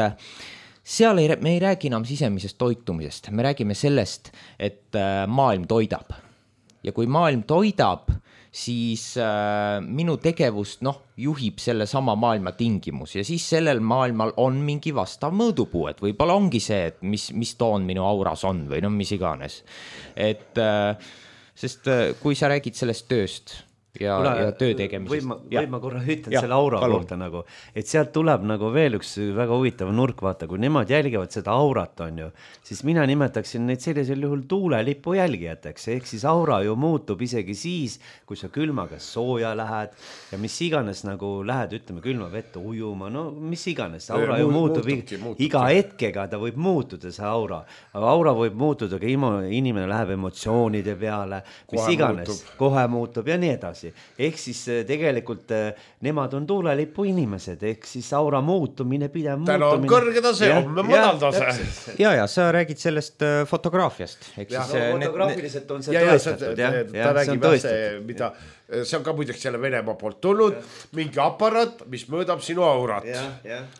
seal me ei räägi enam sisemisest toitumisest, me räägime sellest, et maailm toidab. Ja kui maailm toidab, siis minu tegevust juhib selle sama maailma tingimus ja siis sellel maailmal on mingi vastav mõõdupuu, et võib-olla ongi see, et mis toon minu auras on või mis iganes. Et sest kui sa räägid sellest tööst ja töö tegemisest. Või ma korra ütlen selle aura kohta nagu, et sealt tuleb nagu veel üks väga huvitav nurk, vaata, kui nemad jälgivad seda aurat, on ju, siis mina nimetaksin neid sellisel juhul tuulelipu jälgijateks, ehk siis aura ju muutub isegi siis, kui sa külmaga sooja lähed ja mis iganes nagu lähed, ütleme, külma vette ujuma, mis iganes, aura ju muutub iga hetkega, ta võib muutuda see aura, aga aura võib muutuda, kui inimene läheb emotsioonide peale, mis iganes, kohe muutub ja nii edasi. edasi. Ehk siis tegelikult nemad on tuulelipu inimesed, ehk siis aura muutumine, pidev täna on kõrge tase, homme madal tase. Ja sa räägid sellest fotograafiast. Fotograafiliselt on see tõestatud. Ta räägib mida, see on ka muideks jälle Venemaa poolt tulnud, mingi aparaat, mis mõõdab sinu aurat.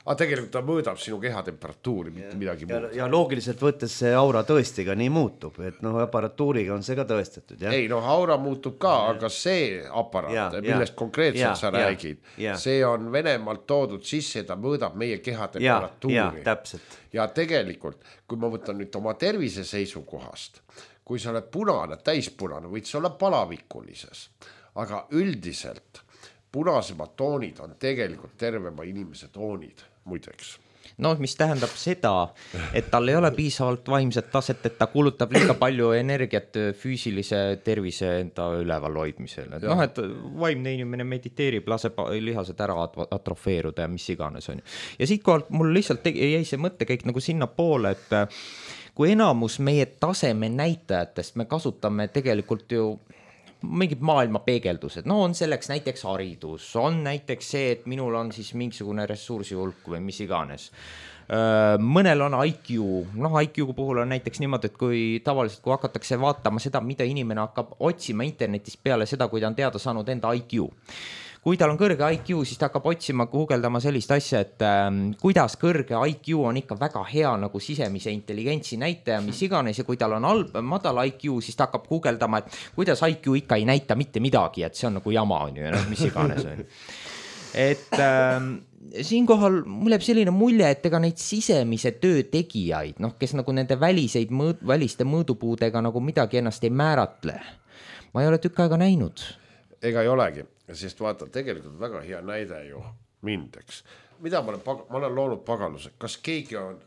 Aga tegelikult ta mõõdab sinu kehatemperatuuri, mitte midagi muud. Ja loogiliselt võttes see aura tõesti ka nii muutub, et aparatuuriga on see ka tõestatud. Ei, aura muutub ka, aga see aparaat, millest konkreetselt sa räägid, see on Venemaalt toodud sisse, ta mõõdab meie kehatemperatuuri. Ja tegelikult, kui ma võtan nüüd oma tervise seisukohast, kui sa oled punane, täispunane, võid sa olla palavikulises, aga üldiselt punasemad toonid on tegelikult tervema inimese toonid, muideks. Mis tähendab seda, et tal ei ole piisavalt vaimset taset, et ta kulutab liiga palju energiat füüsilise tervise enda üleval hoidmisele. Et vaimne inimene mediteerib, laseb lihased ära atrofeeruda ja mis iganes on. Ja siitkohalt mul lihtsalt jäi see mõttekäik nagu sinna poole, et kui enamus meie taseme näitajatest me kasutame tegelikult ju mingid maailma peegeldused, on selleks näiteks haridus, on näiteks see, et minul on siis mingisugune ressursi hulk või mis iganes. Mõnel on IQ, IQ puhul on näiteks niimoodi, et kui tavaliselt, kui hakatakse vaatama seda, mida inimene hakkab otsima internetis peale seda, kui ta on teada saanud enda IQ. Kui tal on kõrge IQ, siis ta hakkab otsima, guugeldama sellist asja, et kuidas kõrge IQ on ikka väga hea nagu sisemise intelligentsi näitaja, mis iganes, ja kui tal on madal IQ, siis ta hakkab guugeldama, et kuidas IQ ikka ei näita mitte midagi, et see on nagu jama on ju, mis iganes on. Et siinkohal mul jääb selline mulje, et ega neid sisemise töö tegijaid, kes nagu nende väliste mõõdupuudega nagu midagi ennast ei määratle. Ma ei ole tükk aega näinud. Ega ei olegi. Sest vaata, tegelikult väga hea näide ju mindeks. Mida ma olen loonud pagaluse? Kas keegi on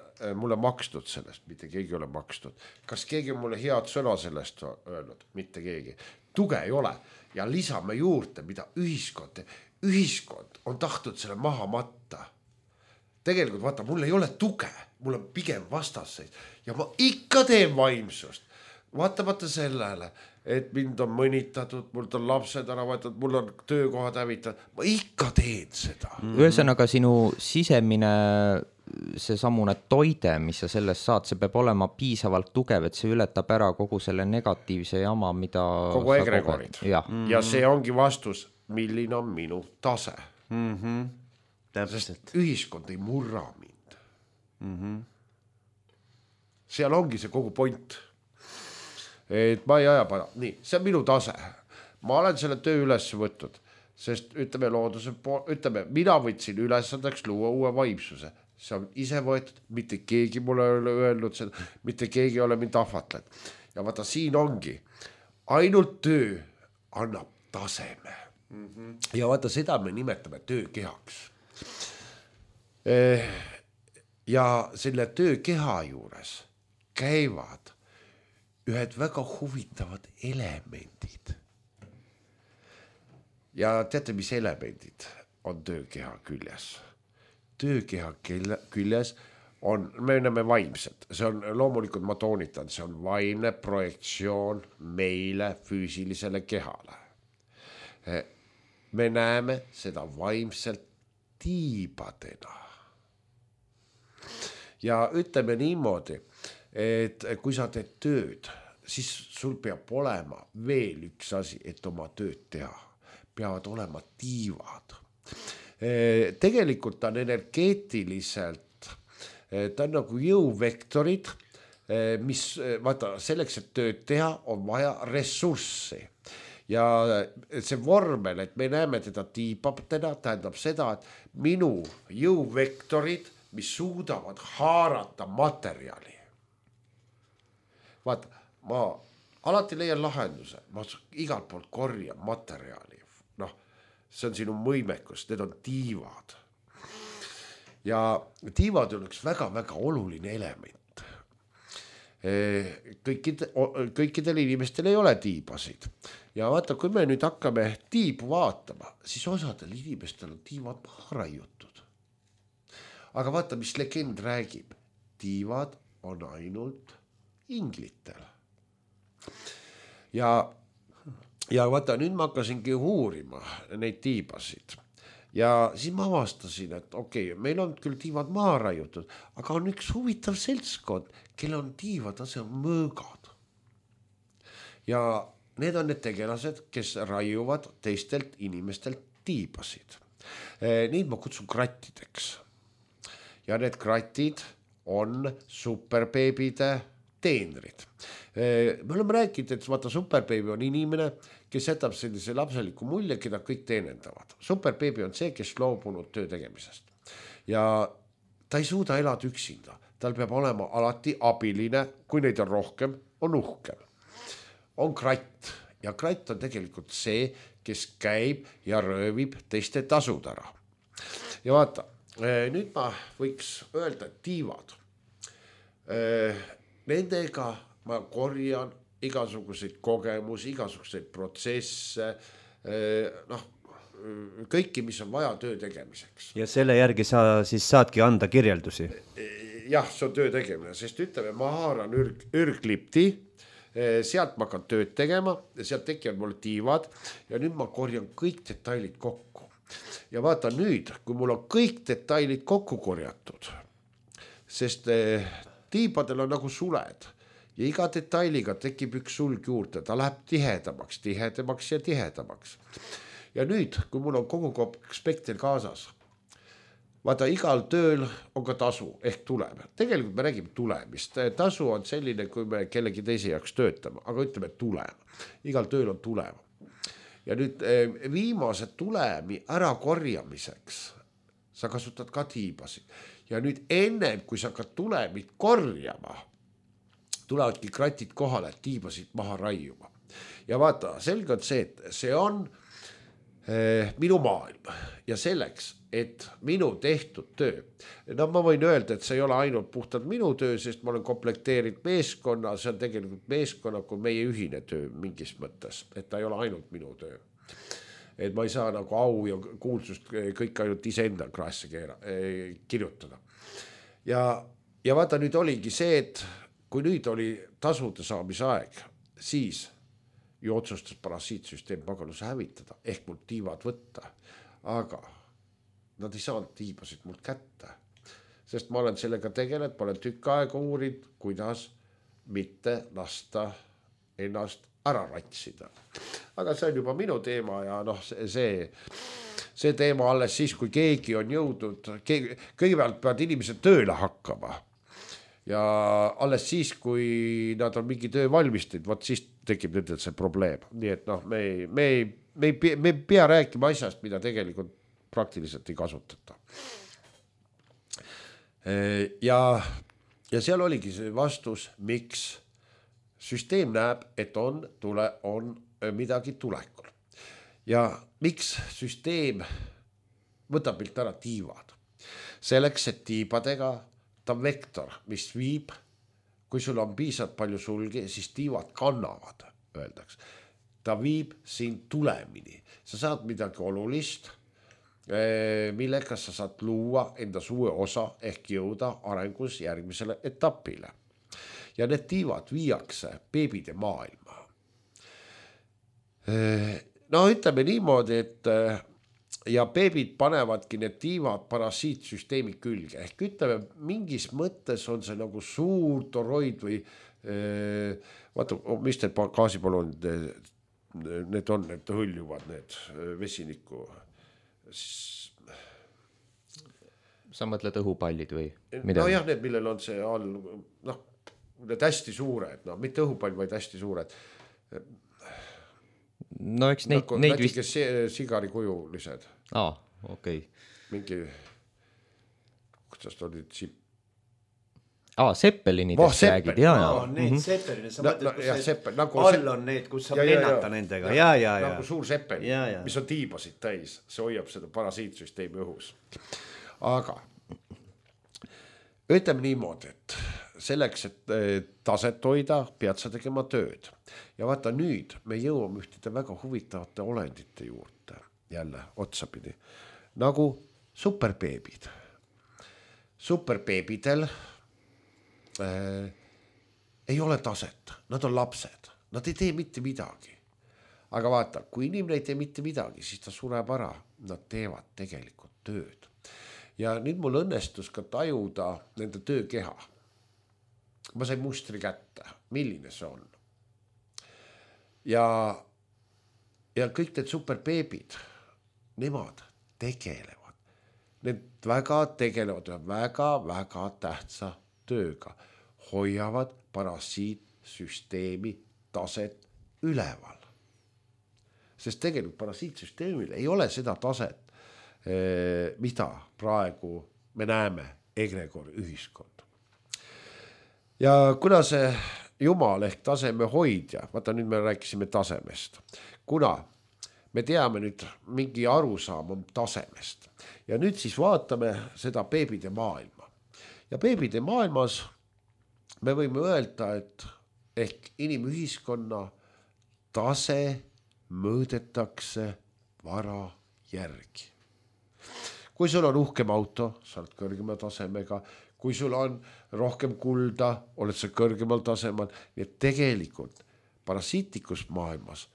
mulle makstud sellest? Mitte keegi ei ole makstud. Kas keegi on mulle head sõna sellest öelnud? Mitte keegi. Tuge ei ole. Ja lisame juurde, mida ühiskond on tahtnud selle maha matta. Tegelikult vaata, mul ei ole tuge. Mul on pigem vastasseid. Ja ma ikka teen vaimsust. Vaatamata sellele, et mind on mõnitatud, mul on lapsed ära võetud, mul on töökohad hävitatud, ma ikka teen seda. Ühesõnaga sinu sisemine see samune toide, mis sa sellest saad, see peab olema piisavalt tugev, et see ületab ära kogu selle negatiivse jama, mida kogu egregorid. Ja see ongi vastus, milline on minu tase. Sest ühiskond ei murra mind. Seal ongi see kogu point. Et ma ei aja para. Nii, see on minu tase. Ma olen selle töö üles võtnud, sest ütleme looduse mina võtsin ülesandeks luua uue vaimsuse. See on ise võetud, mitte keegi mulle ei ole öelnud seda, mitte keegi ei ole mind ahvatlenud. Ja vaata, siin ongi, ainult töö annab taseme. Ja vaata, seda me nimetame töökehaks. Ja selle töökeha juures käivad ühed väga huvitavad elemendid. Ja teate, mis elemendid on töökeha küljes? Töökeha küljes on, me näeme vaimset. See on loomulikult, ma toonitan, see on vaimne projektsioon meile füüsilisele kehale. Me näeme seda vaimselt tiibadena. Ja ütleme niimoodi, et kui sa teed tööd, siis sul peab olema veel üks asi, et oma tööd teha. Peavad olema tiivad. Tegelikult on energeetiliselt, ta on nagu jõuvektorid, mis, vaata, selleks, et tööd teha, on vaja ressurssi. Ja see vormel, et me näeme teda tiibabtena, tähendab seda, et minu jõuvektorid, mis suudavad haarata materjali. Vaata, ma alati leian lahenduse, ma igalt poolt korjan materjali. See on sinu võimekus, need on tiivad. Ja tiivad on üks väga-väga oluline element. Kõikidel inimestel ei ole tiibasid. Ja vaata, kui me nüüd hakkame tiibu vaatama, siis osadel inimestel on tiivad maha raiutud. Aga vaata, mis legend räägib. Tiivad on ainult inglitel. Ja ja vaata, nüüd ma hakkasingi uurima neid tiibasid ja siis ma avastasin, et okei, meil on küll tiivad maha raiutud, aga on üks huvitav seltskond, kelle on tiivad, see on mõõgad. Ja need on need tegelased, kes raiuvad teistelt inimestelt tiibasid. Neid ma kutsun krattideks. Ja need kratid on superbeebide teenrid. Me oleme rääkinud, et vaata, superbeebi on inimene, kes jätab sellise lapseliku mulje, keda kõik teenendavad. Superbeebi on see, kes loobunud töö tegemisest. Ja ta ei suuda elada üksinda. Tal peab olema alati abiline, kui neid on rohkem, on uhkem. On kratt ja kratt on tegelikult see, kes käib ja röövib teiste tasud ära. Ja vaata, nüüd ma võiks öelda, et tiivad. Nendega ma korjan igasuguseid kogemusi, igasuguseid protsesse, kõiki, mis on vaja töö tegemiseks. Ja selle järgi sa siis saadki anda kirjeldusi? Jah, see on töö tegemine, sest ütleme, ma haaran ürglipti, sealt ma hakkan tööd tegema ja sealt tekivad mulle tiivad ja nüüd ma korjan kõik detailid kokku. Ja vaata nüüd, kui mul on kõik detailid kokku korjatud, sest tiibadel on nagu suled ja iga detailiga tekib üks sulg juurde, ta läheb tihedamaks ja tihedamaks. Ja nüüd, kui mul on kogu spekter kaasas, vaata, igal tööl on ka tasu ehk tulem. Tegelikult me räägime tulemist. Tasu on selline, kui me kellegi teise jaoks töötame, aga ütleme tulem. Igal tööl on tulem. Ja nüüd viimase tulemi ära korjamiseks sa kasutad ka tiibasid. Ja nüüd ennem, kui sa hakkad tulemit korjama, tulevadki kratid kohale, et tiibasid maha raiuma. Ja vaata, selge on see, et see on minu maailm ja selleks, et minu tehtud töö. No ma võin öelda, et see ei ole ainult puhtalt minu töö, sest ma olen komplekteerinud meeskonna, see on tegelikult meeskonna kui meie ühine töö mingis mõttes, et ta ei ole ainult minu töö. Et ma ei saa nagu au ja kuulsust kõik ainult iseenda kraesse kirjutada. Ja vaata, nüüd oligi see, et kui nüüd oli tasude saamise aeg, siis ju otsustas parasiitsüsteem paganuse hävitada, ehk mul tiivad võtta, aga nad ei saanud tiibasid mult kätte, sest ma olen sellega tegelenud, ma olen tükk aega uurid, kuidas mitte lasta ennast ära ratsida. Aga see on juba minu teema ja see teema alles siis, kui keegi on jõudnud, kõigepealt peavad inimesed tööle hakkama ja alles siis, kui nad on mingi töö valmistatud, võt siis tekib nendel see probleem. Nii et me ei pea rääkima asjast, mida tegelikult praktiliselt ei kasutata. Ja seal oligi see vastus, miks süsteem näeb, et on midagi tulekul. Ja miks süsteem võtab milt ära tiivad? Selleks, et tiibadega ta on vektor, mis viib, kui sul on piisavalt palju sulgi, siis tiivad kannavad, öeldaks. Ta viib sind tulemini. Sa saad midagi olulist, millega sa saad luua enda uue osa ehk jõuda arengus järgmisele etapile. Ja need tiivad viiakse beebide maailma. No ütleme niimoodi, et ja beebid panevadki need tiivad parasiitsüsteemi külge. Ehk ütleme, mingis mõttes on see nagu suur toroid või vaata, mis need gaasipalonid need on, need hõljuvad need vesiniku. Sa mõtled õhupallid või mida? No jah, need, millel on see all, need hästi suured, mitte õhupall, vaid hästi suured. No eks neid vist... sigari kujulised. Okei. Mingi, kuidas ta oli sipp? Seppelinidest räägid, Need seppelinid, sa mõtled, kus all on need, kus saab lennata nendega. Nagu suur seppelin, mis on tiibasid täis, see hoiab seda parasiitsüsteemi õhus. Aga ütleme niimoodi, et selleks, et taset hoida, pead sa tegema tööd. Ja vaata nüüd me jõuame ühtede väga huvitavate olendite juurde, jälle otsapidi, nagu superbeebid. Superbeebidel ei ole taset, nad on lapsed, nad ei tee mitte midagi. aga vaata, kui inimene ei tee mitte midagi, siis ta sureb ära. Nad teevad tegelikult tööd. Ja nüüd mul õnnestus ka tajuda nende töökeha. Ma sain mustri kätte, milline see on. Ja kõik need superbeebid, nemad tegelevad. Need väga tegelevad väga tähtsa tööga. Hoiavad parasiitsüsteemi taset üleval. Sest tegelikult parasiitsüsteemil ei ole seda taset, mida praegu me näeme egregor ühiskond. Ja kuna see Jumal ehk taseme hoidja, vaata nüüd me rääkisime tasemest, kuna me teame nüüd mingi arusaam on tasemest ja nüüd siis vaatame seda beebide maailma. Ja beebide maailmas me võime öelda, et ehk inimühiskonna tase mõõdetakse vara järgi. Kui sul on uhkem auto, sa oled kõrgema tasemega, kui sul on rohkem kulda, oled sa kõrgemal tasemel, nii et tegelikult parasiitikus maailmas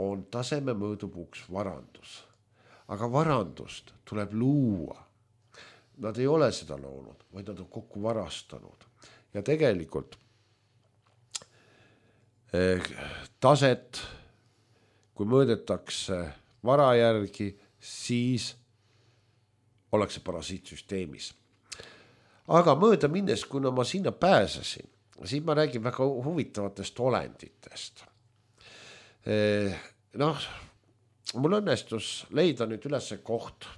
on taseme mõõdupuuks varandus. Aga varandust tuleb luua. Nad ei ole seda loonud, vaid nad on kokku varastanud. Ja tegelikult taset, kui mõõdetakse vara järgi, siis ollakse parasiitsüsteemis. Aga mööda minnes, kuna ma sinna pääsesin, siis ma räägin väga huvitavatest olenditest. Mul õnnestus leida nüüd üles koht.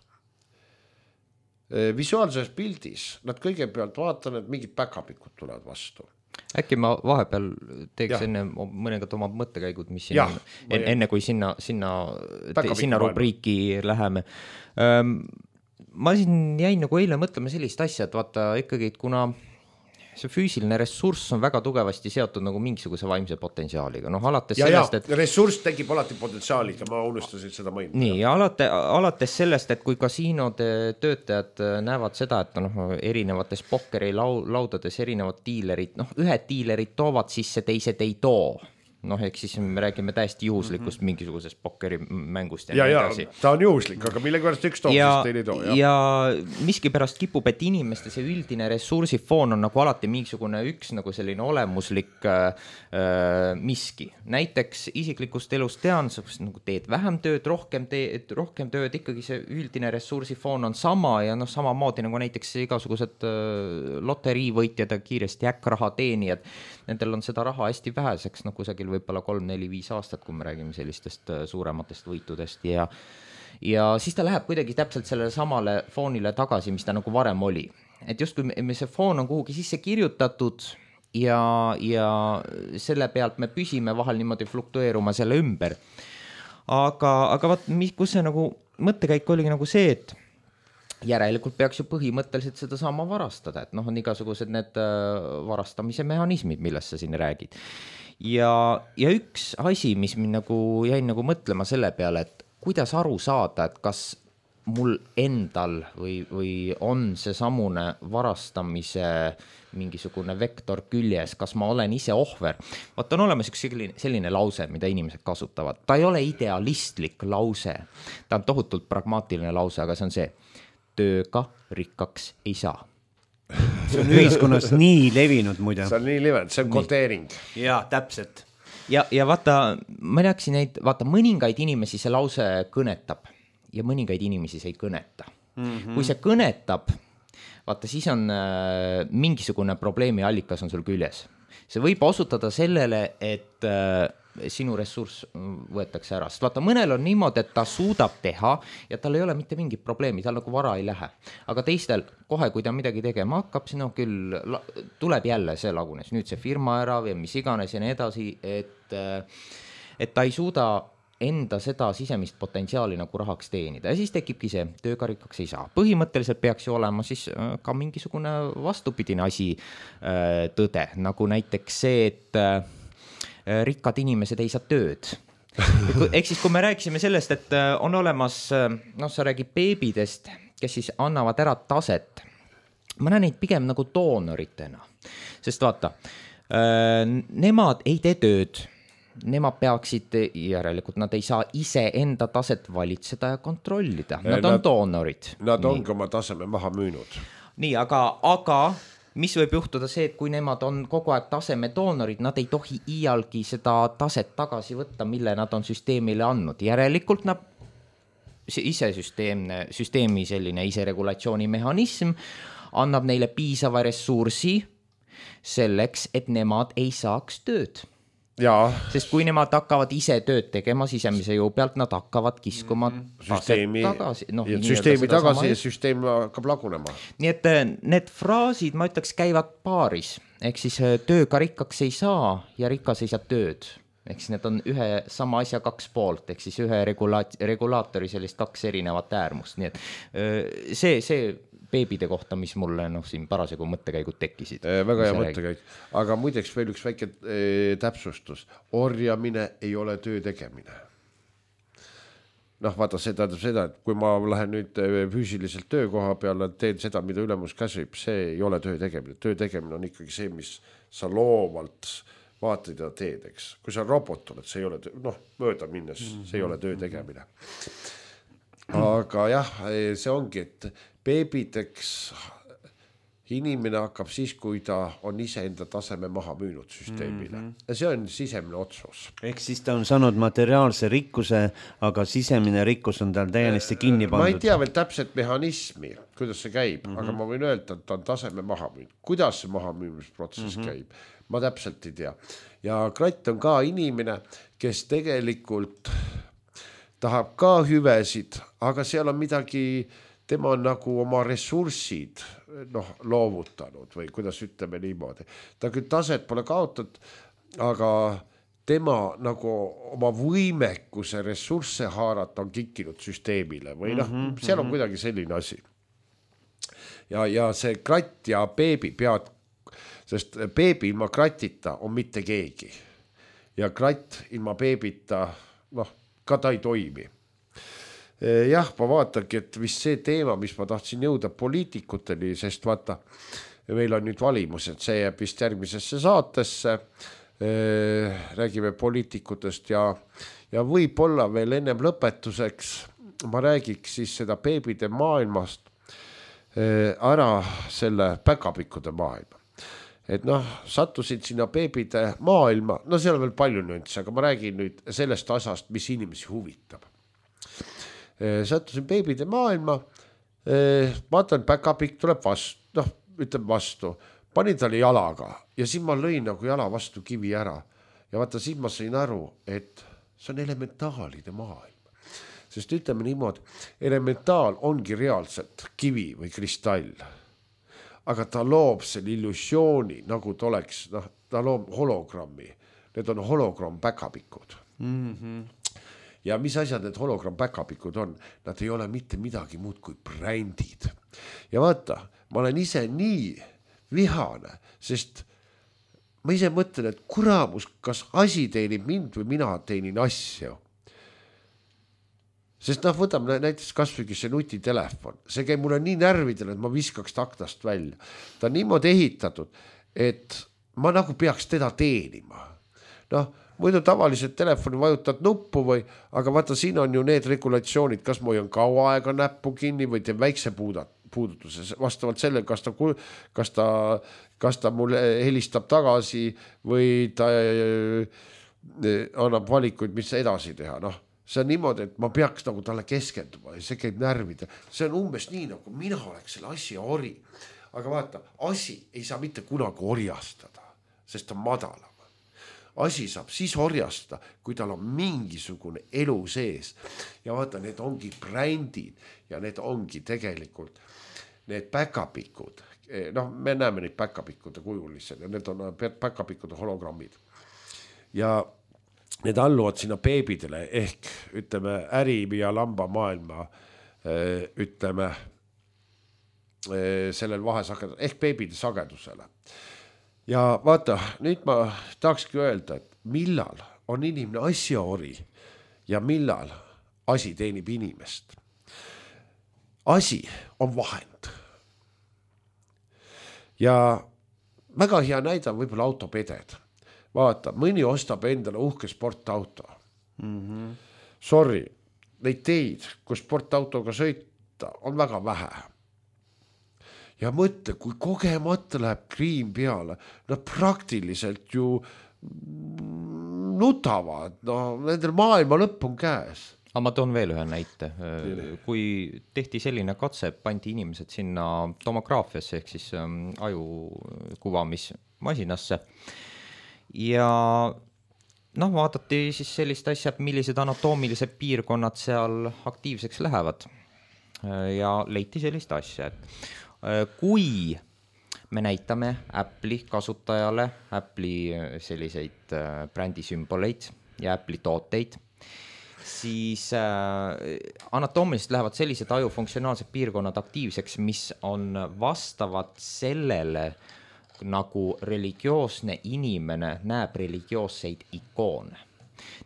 Visuaalses pildis nad kõigepealt vaatan, et mingid päkapikud tulevad vastu. Äkki ma vahepeal teeks enne mõningad omad mõttekäigud, mis siin on, enne kui sinna rubriiki läheme. Ma siin jäin nagu eile mõtlema sellist asja, et vaata ikkagi, et kuna see füüsiline ressurss on väga tugevasti seotud nagu mingisuguse vaimse potentsiaaliga. Alates sellest, et ressurss tekib alati potentsiaaliga, ma unustasin seda mainida. Nii, ja alates sellest, et kui kasiinode töötajad näevad seda, et erinevates pokkeri laudades erinevad diilerid, ühed diilerid toovad sisse, teised ei too. Ehk siis me räägime täiesti juhuslikust mingisugusest pokkerimängust ja nii edasi. Ta on juhuslik, aga millega pärast üks toob, siis teine ei too. Ja miski pärast kipub, et inimeste see üldine ressursifoon on nagu alati mingisugune üks nagu selline olemuslik miski. Näiteks isiklikust elust tean, nagu teed vähem tööd, rohkem tööd, ikkagi see üldine ressursifoon on sama ja samamoodi nagu näiteks igasugused loteriivõitjad ja kiiresti äkkraha teenijad, nendel on seda raha hästi väheseks, kusagil võib-olla 3, 4, 5 aastat, kui me räägime sellistest suurematest võitudest ja siis ta läheb kuidagi täpselt sellele samale foonile tagasi, mis ta nagu varem oli. Et just kui see foon on kuhugi sisse kirjutatud ja selle pealt me püsime vahel niimoodi fluktueeruma selle ümber. Aga vaat, kus see nagu mõttekäik oligi nagu see, et järelikult peaks ju põhimõtteliselt seda sama varastada, et on igasugused need varastamise mehhanismid, millest sa siin räägid. Ja üks asi, mis mind nagu jäin nagu mõtlema selle peale, et kuidas aru saada, et kas mul endal või on see samune varastamise mingisugune vektor küljes, kas ma olen ise ohver. Vaata, on olemas üks selline lause, mida inimesed kasutavad. Ta ei ole idealistlik lause, ta on tohutult pragmaatiline lause, aga see on see, tööga rikkaks ei saa. See on ühiskonnas nii levinud muide. See on nii levinud, see on kodeering. Jaa, täpselt. Ja vaata, ma rääksin neid, vaata, mõningaid inimesi see lause kõnetab ja mõningaid inimesi see ei kõneta. Kui see kõnetab, vaata, siis on mingisugune probleemi allikas on sul küljes. See võib osutada sellele, et sinu ressurss võetakse ära. Sest vaata, mõnel on niimoodi, et ta suudab teha ja tal ei ole mitte mingit probleemi, tal nagu vara ei lähe. Aga teistel kohe, kui ta midagi tegema hakkab, siis küll tuleb jälle see lagunes. Nüüd see firma ära või mis iganes ja nii edasi, et ta ei suuda enda seda sisemist potentsiaali nagu rahaks teenida. Ja siis tekibki see, tööga rikkaks ei saa. Põhimõtteliselt peaks ju olema siis ka mingisugune vastupidine asi tõde, nagu näiteks see, et rikkad inimesed ei saa tööd. Ehk siis, kui me rääkisime sellest, et on olemas, sa räägid beebidest, kes siis annavad ära taset. Ma näen neid pigem nagu doonoritena. Sest vaata, nemad ei tee tööd, nemad peaksid, järelikult nad ei saa ise enda taset valitseda ja kontrollida, nad on doonorid. Nad ongi oma taseme maha müünud. Nii, aga mis võib juhtuda see, et kui nemad on kogu aeg taseme doonorid, nad ei tohi iialgi seda taset tagasi võtta, mille nad on süsteemile andnud. Järelikult nad ise süsteemi selline iseregulatsiooni mehhanism annab neile piisava ressursi selleks, et nemad ei saaks tööd. Jaa. Sest kui nemad hakkavad ise tööd tegema sisemise jõu pealt, nad hakkavad kiskuma süsteemi tagasi. Ja süsteem hakkab lagunema. Nii et need fraasid, ma ütleks, käivad paaris. Ehk siis tööga rikkaks ei saa ja rikas ei saa tööd. Ehk siis need on ühe sama asja kaks poolt, ehk siis ühe regulaatori sellist kaks erinevat äärmust. Nii et see beebide kohta, mis mulle siin parasjagu mõttekäigud tekkisid. Väga hea mõttekäik. Aga muideks veel üks väike täpsustus. Orjamine ei ole töö tegemine. Vaata, see tähendab seda, et kui ma lähen nüüd füüsiliselt töökoha peale, teen seda, mida ülemus käsib, see ei ole töö tegemine. Töö tegemine on ikkagi see, mis sa loovalt vaatad ja teed, eks. Kui sa robot oled, see ei ole mööda minnes, see ei ole töö tegemine. Aga jah, see ongi, et beebideks inimene hakkab siis, kui ta on ise enda taseme maha müünud süsteemile. Ja see on sisemine otsus. Ehk siis ta on saanud materiaalse rikkuse, aga sisemine rikkus on tal täiesti kinni pandud. Ma ei tea veel täpselt mehhanismi, kuidas see käib, aga ma võin öelda, et ta on taseme maha müünud. Kuidas see maha müümisprotsess käib? Ma täpselt ei tea. Ja Kratt on ka inimene, kes tegelikult tahab ka hüvesid, aga seal on midagi, tema on nagu oma ressursid loovutanud või kuidas ütleme niimoodi. Ta küll taset pole kaotatud, aga tema nagu oma võimekuse ressursse haarata on kikkinud süsteemile või seal on kuidagi selline asi. Ja see Kratt ja beebi pead, sest beebi ilma Kratita on mitte keegi. Ja Kratt ilma beebita, ka ta ei toimi. Jah, ma vaatangi, et vist see teema, mis ma tahtsin jõuda poliitikuteni, sest vaata, meil on nüüd valimused, see jääb vist järgmisesse saatesse, räägime poliitikutest ja võib-olla veel ennem lõpetuseks ma räägiks siis seda beebide maailmast ära selle päkapikkude maailma. Et sattusin sinna beebide maailma, seal on veel palju nüansse, aga ma räägin nüüd sellest asjast, mis inimesi huvitab. Sattusin beebide maailma, vaatan, päkapikk tuleb vastu, ütleb vastu, panin talle jalaga ja siis ma lõin nagu jala vastu kivi ära ja vaata, siis ma sain aru, et see on elementaalide maailm. Sest ütleme niimoodi, elementaal ongi reaalselt kivi või kristall. Aga ta loob selle illusiooni, nagu ta oleks, ta loob hologrammi. Need on hologramm päkapikud. Ja mis asjad need hologramm päkapikud on? Nad ei ole mitte midagi muud kui brändid. Ja vaata, ma olen ise nii vihane, sest ma ise mõtlen, et kuramus, kas asi teenib mind või mina teenin asju. Sest võtame näiteks kasvõigi see nutitelefon. See käib mulle nii närvidele, et ma viskaks taktast välja. Ta on niimoodi ehitatud, et ma nagu peaks teda teenima. Muidu tavaliselt telefoni vajutad nuppu või, aga vaata, siin on ju need regulatsioonid, kas ma hoian kaua aega näppu kinni või teen väikse puudutuse. Vastavalt sellele, kas ta mulle helistab tagasi või ta annab valikuid, mis edasi teha. See on niimoodi, et ma peaks nagu talle keskenduma ja see käib närvida. See on umbes nii, nagu mina oleks selle asja ori. Aga vaata, asi ei saa mitte kunagi orjastada, sest ta on madalam. Asi saab siis orjastada, kui tal on mingisugune elu sees. Ja vaata, need ongi brändid ja need ongi tegelikult need päkapikud. Me näeme neid päkapikkude kujulised ja need on päkapikkude hologrammid. Ja need alluvad sinna beebidele ehk ütleme äri ja lamba maailma ütleme sellel vahesagedusel ehk beebide sagedusele. Ja vaata, nüüd ma tahakski öelda, et millal on inimene asjaori ja millal asi teenib inimest. Asi on vahend. Ja väga hea näide on võib-olla autopeded. vaata, mõni ostab endale uhke sportauto. Sorry, neid teid, kus sportautoga sõita, on väga vähe. Ja mõtle, kui kogemata läheb kriim peale, nad praktiliselt ju nutavad, no nendel maailma lõpp on käes. Aga ma toon veel ühe näite. Kui tehti selline katse, pandi inimesed sinna tomograafiasse ehk siis aju kuvamismasinasse ja vaadati siis sellist asja, millised anatoomilised piirkonnad seal aktiivseks lähevad ja leiti sellist asja, et kui me näitame Apple'i kasutajale Apple'i selliseid brändisümboleid ja Apple'i tooteid, siis anatoomiliselt lähevad sellised aju funktsionaalsed piirkonnad aktiivseks, mis on vastavad sellele, nagu religioosne inimene näeb religioosseid ikoone.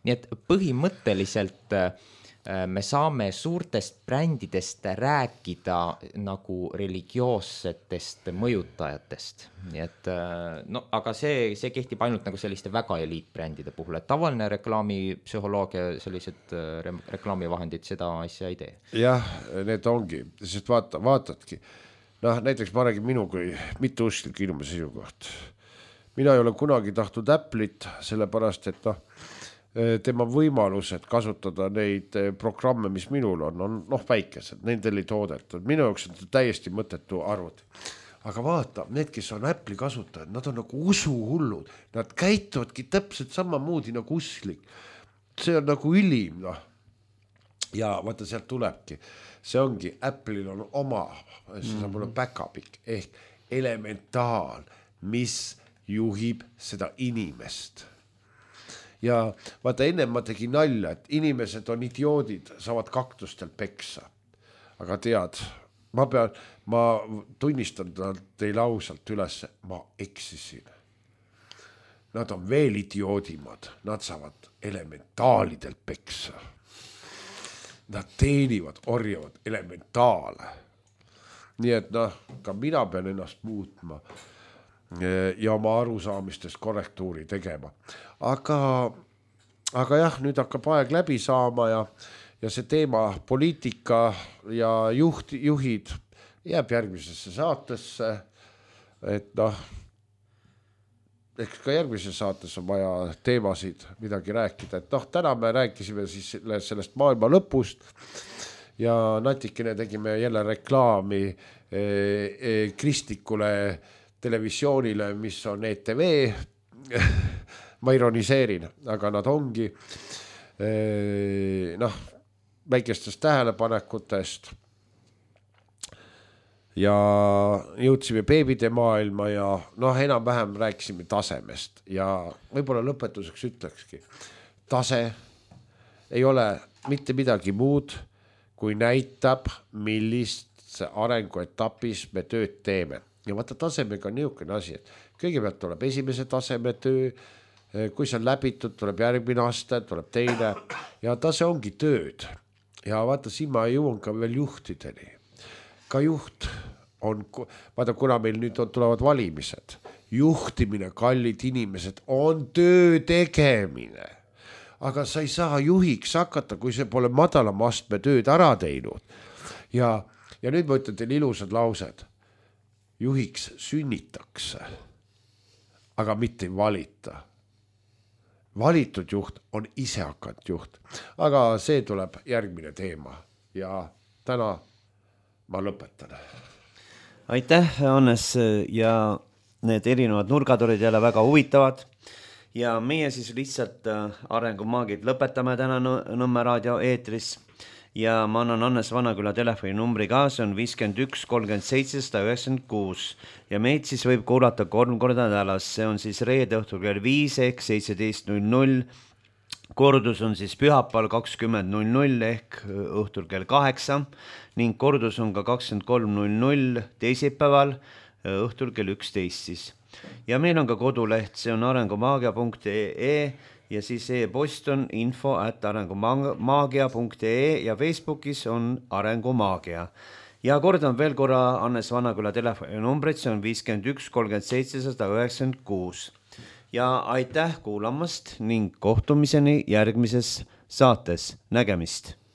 Nii et põhimõtteliselt me saame suurtest brändidest rääkida nagu religioossetest mõjutajatest. Nii et, aga see kehtib ainult nagu selliste väga eliitbrändide puhul, et tavaline reklaamipsühholoogia, sellised reklaamivahendid seda asja ei tee. Jah, need ongi, sest vaatadki. Näiteks ma räägin minu kui mitteusklik inimese seisukoht. Mina ei ole kunagi tahtnud Apple'it, sellepärast, et tema võimalused kasutada neid programme, mis minul on väikesed, nendel ei toodetud. Minu jaoks on täiesti mõttetu arvuti. Aga vaata, need, kes on Apple'i kasutajad, nad on nagu usuhullud. Nad käituvadki täpselt samamoodi nagu usklik. See on nagu ülim, Ja vaata, sealt tulebki. See ongi, Apple'il on oma, see saab olla backupik, ehk elementaal, mis juhib seda inimest. Ja vaata, enne ma tegin nalja, et inimesed on idioodid, saavad kaktustel peksa. Aga tead, ma tunnistan teile ausalt üles, ma eksisin. Nad on veel idioodimad, nad saavad elementaalidelt peksa. Nad teenivad, orjavad elementaale. Nii et ka mina pean ennast muutma ja oma arusaamistest korrektuuri tegema. Aga jah, nüüd hakkab aeg läbi saama ja see teema poliitika ja juhid jääb järgmisesse saatesse, et eks ka järgmises saates on vaja teemasid midagi rääkida, et täna me rääkisime siis sellest maailma lõpust ja natikene tegime jälle reklaami kristlikule televisioonile, mis on ETV, ma ironiseerin, aga nad ongi väikestest tähelepanekutest ja jõudsime beebide maailma ja enam-vähem rääkisime tasemest ja võib-olla lõpetuseks ütlekski, tase ei ole mitte midagi muud, kui näitab, millist arenguetapis me tööd teeme. Ja vaata, tasemega on niisugune asi, et kõigepealt tuleb esimese taseme töö, kui see on läbitud, tuleb järgmine aste, tuleb teine ja tase ongi tööd. Ja vaata, siin ma jõuan ka veel juhtideni. Ka juht on, vaata, kuna meil nüüd tulevad valimised, juhtimine, kallid inimesed, on töö tegemine. Aga sa ei saa juhiks hakata, kui see pole madalama astme tööd ära teinud. Ja nüüd ma ütlen teile ilusad laused. Juhiks sünnitakse, aga mitte ei valita. Valitud juht on ise hakanud juht, aga see tuleb järgmine teema ja täna ma lõpetan. Aitäh, Hannes, ja need erinevad nurgad olid jälle väga huvitavad ja meie siis lihtsalt arengumaagid lõpetame täna Nõmme raadio eetris ja ma annan Hannes Vanaküla telefoninumbri ka, see on 51 37 196 ja meid siis võib kuulata 3 korda nädalas, see on siis reede õhtul kell 5 ehk 17.00, kordus on siis pühapäeval 20.00 ehk õhtul kell 8 ning kordus on ka 23.00 teisipäeval õhtul kell 11 siis. Ja meil on ka koduleht, see on arengumaagia.ee ja siis e-post on info@arengumaagia.ee ja Facebookis on Arengumaagia. Ja kordan veel korra Hannes Vanaküla telefoninumbrit, see on 51 37 196. ja aitäh kuulamast ning kohtumiseni järgmises saates. Nägemist!